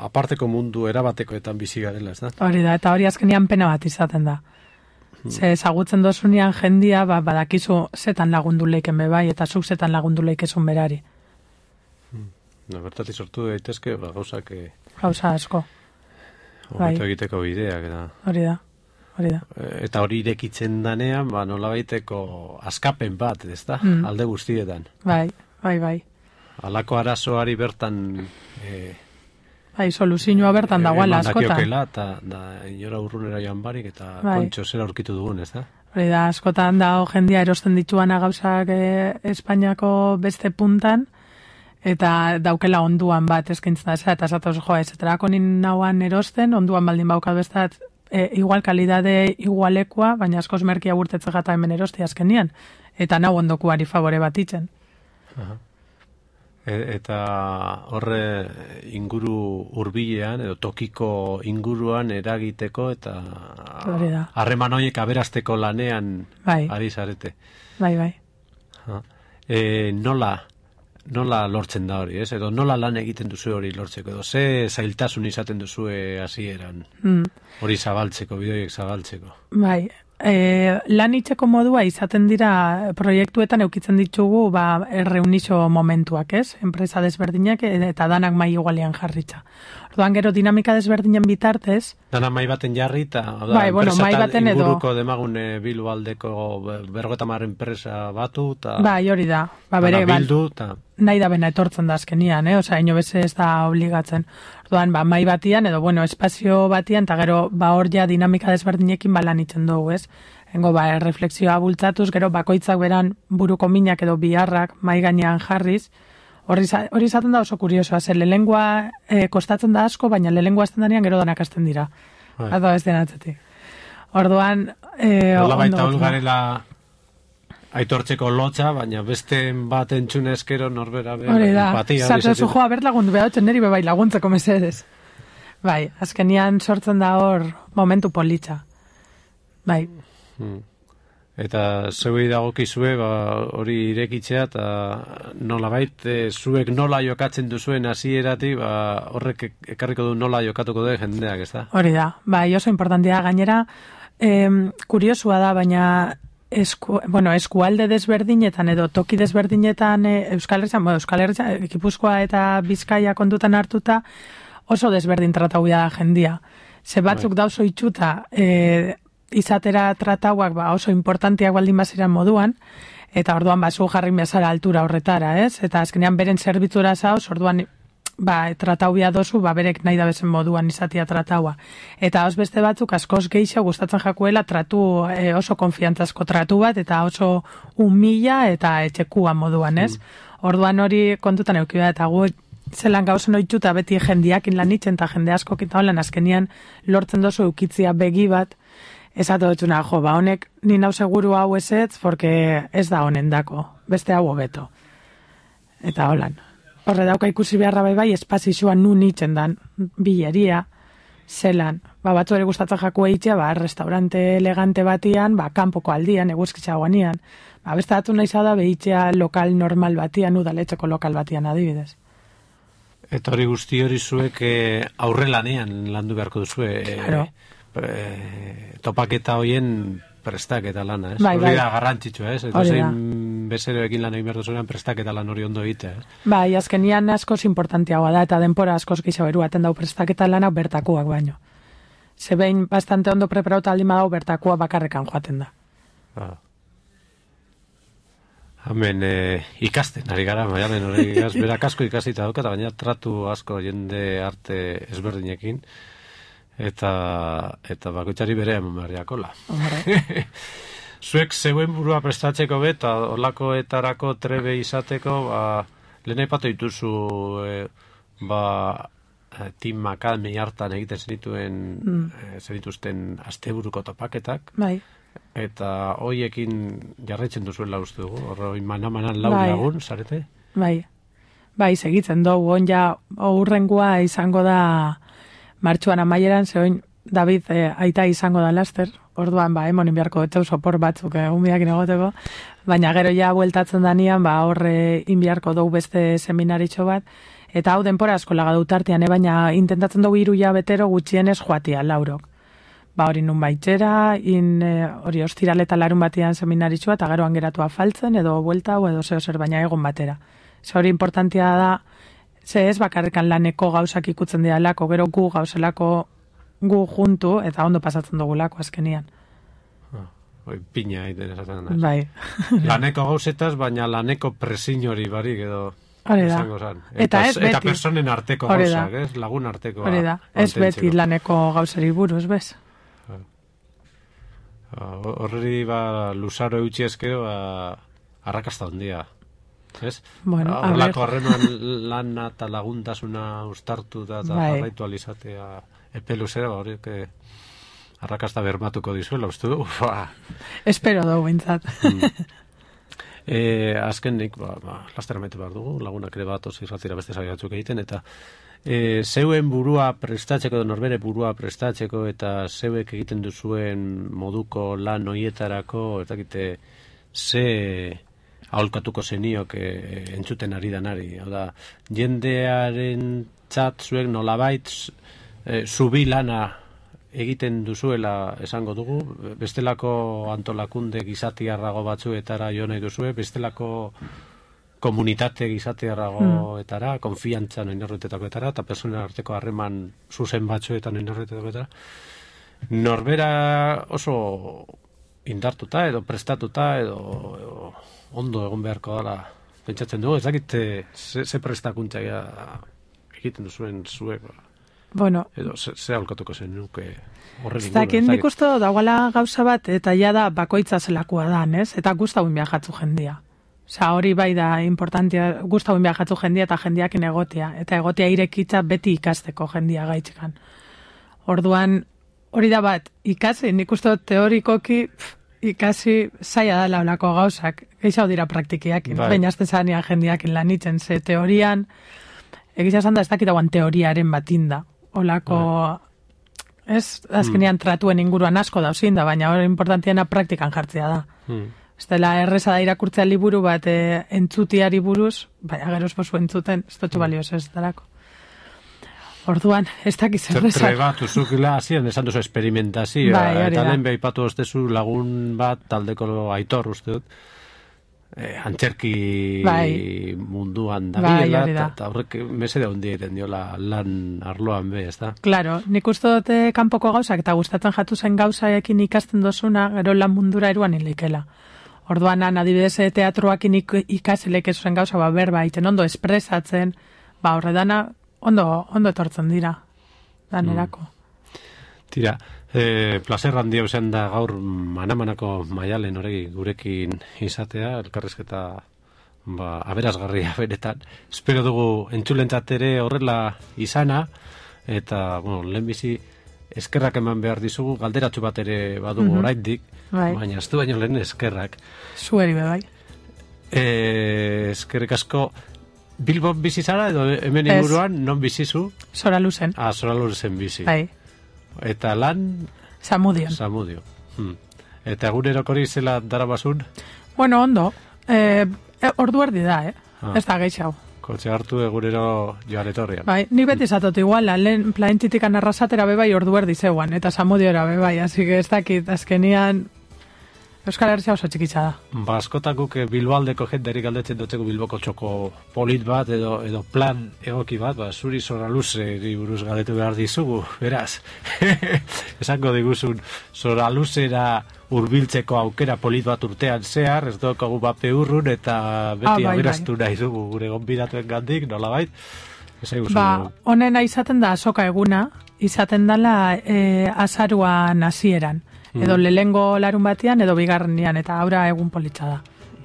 aparteko mundu erabatekoetan bizi garela, ez da?
Hori da, eta hori azkenian pena bat izaten da. Hmm. Ze ezagutzen dozunean jendia, ba, badakizu zetan lagundu leiken bebai, eta zuk zetan lagundu leikezun berari.
Hmm. No, bertatik sortu daitezke, ba, gauzak... E...
Gauza asko.
Hobeto bai. Egiteko bideak, eta...
Hori da. Hori da.
Eta hori irekitzen danean, ba, nolabaiteko askapen bat, ez da? Mm. Alde guztietan.
Bai, bai, bai.
Alako arazoari bertan... E,
bai, soluzioa bertan e, dagoela askotan.
Emandakiokela, eta da, inora urrunera joan barik, eta bai. Kontxo zera aurkitu dugun, ez da?
Hori da, askotan da, jendia erosten dituana gauzak e, Espainiako beste puntan, eta daukela onduan bat eskintzen da, eta zatoz joa, ez eterako nin nauan erosten, onduan baldin baukat bestat, E, igual kalidade igualekoa, baina askoz merkia burtetze gata hemen erosti azkenian. Eta nau ondokuari favore bat itzen.
E, eta horre inguru hurbilean edo tokiko inguruan eragiteko eta harreman horiek aberasteko lanean bai. Ari zarete.
Bai, bai.
E, nola nola lortzen da hori, ez? Edo nola lan egiten duzu hori lortzeko, edo ze zailtasun izaten duzue hasieran, mm. hori zabaltzeko, bideoiek zabaltzeko.
Bai, E, lan itxeko modua izaten dira proiektuetan eukitzen ditugu ba, reunixo momentuak, ez? Enpresa desberdinak eta danak mai igualian jarritza. Orduan gero dinamika desberdinen bitartez...
Danak mai baten jarri eta
bai, bueno, mai baten edo...
inguruko demagune Bilbo aldeko berrogeta mar enpresa batu eta...
Bai, hori da. Ba, bere,
bildu eta...
Nahi da bena etortzen da azkenian, eh? Osa, ino beze ez da obligatzen. Orduan, ba, mai batian edo, bueno, espazio batian, eta gero, ba, hor ja dinamika desberdinekin balan itzen dugu, ez? Hengo, ba, refleksioa bultzatuz, gero, bakoitzak beran buruko minak edo biharrak mai gainean jarriz, hori izaten da oso kuriosoa, ze lelengua eh, kostatzen da asko, baina lelengua azten danean gero danak azten dira. Ato ez denatzetik. Orduan, eh,
Ola baita olgarela aitortzeko lotxa, baina beste bat entzune eskero norbera behar.
Hori da, zatu zu joa bert lagundu behatzen neri bebai laguntzeko mesedez. Bai, azkenian sortzen da hor momentu politxa. Bai.
Hmm. Eta zeuei dagokizue ba, hori irekitzea eta nolabait e, zuek nola jokatzen duzuen hasieratik ba, horrek ekarriko du nola jokatuko du jendeak, ez da?
Hori da, bai oso importantia gainera, em, kuriosua da, baina esku, bueno, eskualde desberdinetan edo toki desberdinetan e, Euskal Herrian, bueno, Euskal Herrian, Gipuzkoa eta Bizkaia kontutan hartuta oso desberdin tratau da jendia. Ze batzuk bai. Dauzo itxuta, e, izatera tratauak ba, oso importantiak baldin baziran moduan, eta orduan ba, zu jarri bezala altura horretara, ez? Eta azkenean beren zerbitzura zauz, orduan ba, tratau bia dozu, ba, berek nahi da bezen moduan izatia trataua. Eta os beste batzuk askoz gehiago gustatzen jakuela tratu e, oso konfiantzazko tratu bat, eta oso humila eta etxekua moduan, ez? Mm. Orduan hori kontutan eukibea, eta gu zelan gauzen oitxuta beti jendiakin lan itzen, eta jende asko kita holan azkenian lortzen dozu eukitzia begi bat, esatu dutxuna, jo, ba, honek ni nau seguru hau ezetz, porque ez da honen dako, beste hau hobeto. Eta holan. Horre dauka ikusi beharra bai bai, espazizua nun itzen dan, bileria, zelan, ba, batzu ere gustatzen jaku eitzea, ba, restaurante elegante batian, ba, kanpoko aldian, eguzkitza guanian, ba, beste datu nahi zada, behitzea lokal normal batian, udaletxeko lokal batian adibidez.
Eta hori guzti hori zuek eh, aurre lanean landu beharko duzue, eh,
claro.
E, topaketa hoien prestaketa lana, ez?
Bai,
hori
bai.
da garrantzitsua, ez? Eta zein bezeroekin lan egin behar duzuean prestaketa lan hori ondo egitea, ez?
Bai, azkenian askoz importantiagoa da, eta denpora askoz gehiago eruaten dau prestaketa lana bertakuak baino. Zebein bastante ondo preparauta aldin badau bertakua bakarrekan joaten da.
Ah. Hemen eh, ikasten, ari gara, maialen hori berak asko ikasita daukata, gaina tratu asko jende arte ezberdinekin, eta eta bakoitzari bere eman behariakola. Zuek zeuen burua prestatzeko bet, eta olakoetarako trebe izateko, ba, lehen aipatu dituzu e, ba, Team Academy hartan egiten zenituen mm. e, zenituzten asteburuko topaketak.
Bai.
Eta hoiekin jarraitzen duzuela uste dugu, horroi manamanan lau
bai.
Lagun, zarete?
Bai, bai, segitzen dugu, on ja, aurrengua izango da martxuan amaieran, zeoin David eh, aita izango da laster, orduan ba, emonin beharko etxau sopor batzuk egun eh, biakin egoteko, baina gero ja bueltatzen danian, ba, horre inbiarko dugu beste seminaritxo bat, eta hau denpora asko laga dutartian, eh, baina intentatzen dugu hiru betero gutxienez joatia, laurok. Ba, hori nun baitxera, in, eh, hori ostiraleta larun batian seminaritxua, eta gero angeratua faltzen, edo buelta, edo zeo zer, baina egon batera. Ze hori importantia da, ze ez bakarrikan laneko gauzak ikutzen dialako, gero gu gauzelako gu juntu, eta ondo pasatzen dugulako azkenian.
Ah, oi, pina egiten esaten da.
Bai.
Laneko gauzetaz, baina laneko presin hori barik edo
esango
zan.
Eta, eta ez beti.
Eta personen arteko gauzak, ez? Lagun arteko.
Hori da, ez beti laneko gauzari buruz, bez?
Horri ba, luzaro eutxi ezkero, ba, arrakasta ondia. Ez?
Bueno,
horrelako harreman lana eta laguntasuna ustartu da eta
bai.
Jarraitu alizatea epe luzera, ba, horiek arrakasta bermatuko dizuela, uste du?
Espero dugu bintzat.
Mm. E, azkenik, ba, ba, laster amaitu behar dugu, lagunak ere bat oso irratira beste zabiatzuk egiten, eta e, zeuen burua prestatzeko, norbere burua prestatzeko, eta zeuek egiten duzuen moduko lan hoietarako, eta egite, ze aholkatuko zeniok e, entzuten ari danari. Hau da, jendearen txat zuek nolabait e, zubi lana egiten duzuela esango dugu, bestelako antolakunde gizatiarrago batzuetara jo nahi duzue, bestelako komunitate gizatiarragoetara, mm. konfiantzan oinorretetakoetara, eta personen arteko harreman zuzen batzuetan oinorretetakoetara. Norbera oso indartuta edo prestatuta edo, edo ondo egon beharko dela pentsatzen dugu, ez dakit ze, ze prestakuntza egiten duzuen zuek,
bueno,
edo ze, ze aholkatuko zen nuke horren
inguruen. Ez dakit nik uste dagoela gauza bat, eta ja da bakoitza zelakoa da, ez? Eta guztauen viajatzu jendia. Osa, hori bai da importantia, guztauen viajatzu jendia eta jendiakin egotea. Eta egotea irekitza beti ikasteko jendia gaitzekan. Orduan, hori da bat, ikasi, nik uste teorikoki pff, ikasi zaila da laulako gauzak. Geixau dira praktikiak, bai. Baina azte zanean jendiakin lanitzen, ze teorian, egizia esan da ez dakitagoan teoriaren batinda. Olako, bai. Ez, azkenean mm. tratuen inguruan asko dauzin da, baina hori importantiena praktikan jartzea da. Mm. Ez dela erreza da irakurtzea liburu bat e, entzutiari buruz, baina geroz bozu entzuten, ez dutxu balioz ez dalako. Orduan, ez dakiz erreza.
Trebatu zukila, hasien esan duzu experimentazioa, bai, eta lehen behipatu oztezu lagun bat, taldeko aitor uste dut, eh, antzerki bai. munduan dabiela, bai, eta horrek mesede hundi egiten diola lan arloan be, ez da?
Claro, nik uste dute kanpoko gauzak, eta gustatzen jatu zen gauzaekin ikasten dozuna, gero lan mundura eruan ilikela. Orduan, adibidez, teatroakin ikasilek ez zen gauza, ba, berba, iten ondo espresatzen, ba, horredana, ondo, ondo etortzen dira, danerako.
Mm. Tira, eh, placer handia usan da gaur manamanako Maialen horregi gurekin izatea, elkarrizketa ba, aberasgarria benetan. Espero dugu entzulentzat ere horrela izana, eta, bueno, lehenbizi eskerrak eman behar dizugu, galderatxu bat ere badugu mm-hmm. oraindik, bai. Baina ez du baino lehen eskerrak.
Zueri be bai.
Eh, eskerrik asko, Bilbon bizi zara edo hemen inguruan non bizizu?
Soraluzen.
Ah, Soraluzen bizi.
Bai.
Eta lan?
Samudion.
Samudio. Hmm. Eta egunerokori zela darabasun?
Bueno, ondo. Eh, ordu erdi da, eh? Ah. Ez da geixau.
Kotxe hartu egunero joan etorrian.
Bai, ni beti zatot igual, lehen plaintitikan arrasatera bebai ordu erdi zeuan, eta Samudiora bebai, así que ez dakit, azkenian Euskal Herria oso txikitza da.
Ba, askotakuk Bilboaldeko jenderik galdetzen dutzeko Bilboko txoko polit bat edo edo plan egoki bat, ba, zuri Soraluzeri buruz galdetu behar dizugu, beraz. Esango diguzun Soraluzera hurbiltzeko aukera polit bat urtean zehar, ez daukagu bape urrun eta beti ah, bai, aberaztu bai. Nahi dugu gure gonbidatuen gandik, nolabait?
Ba, honena izaten da azoka eguna, izaten dela e, azaruan hasieran. Edo lehengo larun batean, edo bigarrenian, eta aurra egun politza da.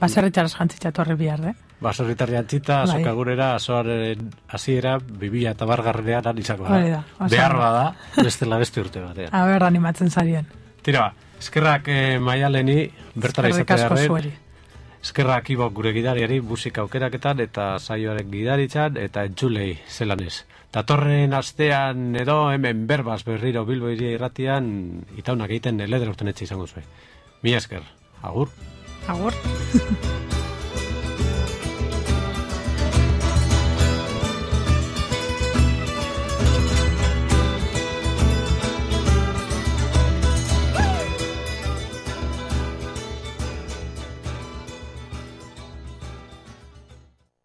Baserritxaraz jantzitza torri bihar, eh?
Baserritarri jantzita, bai. Azokagurera, azoaren hasiera, bibila eta bargarrenean anizako da.
da
behar bada, bestela beste urte batean.
Aber, animatzen zarien.
Tira ba, eskerrak eh, Maialeni, bertara izatearen. Eskerrak ibok gure gidariari, musika aukeraketan, eta saioaren gidaritzan, eta entzulei zelanez. Datorren astean edo hemen berbaz berriro Bilbo Hiria Irratian itaunak egiten ledera urtenetxe izango zuen. Mila esker. Agur.
Agur.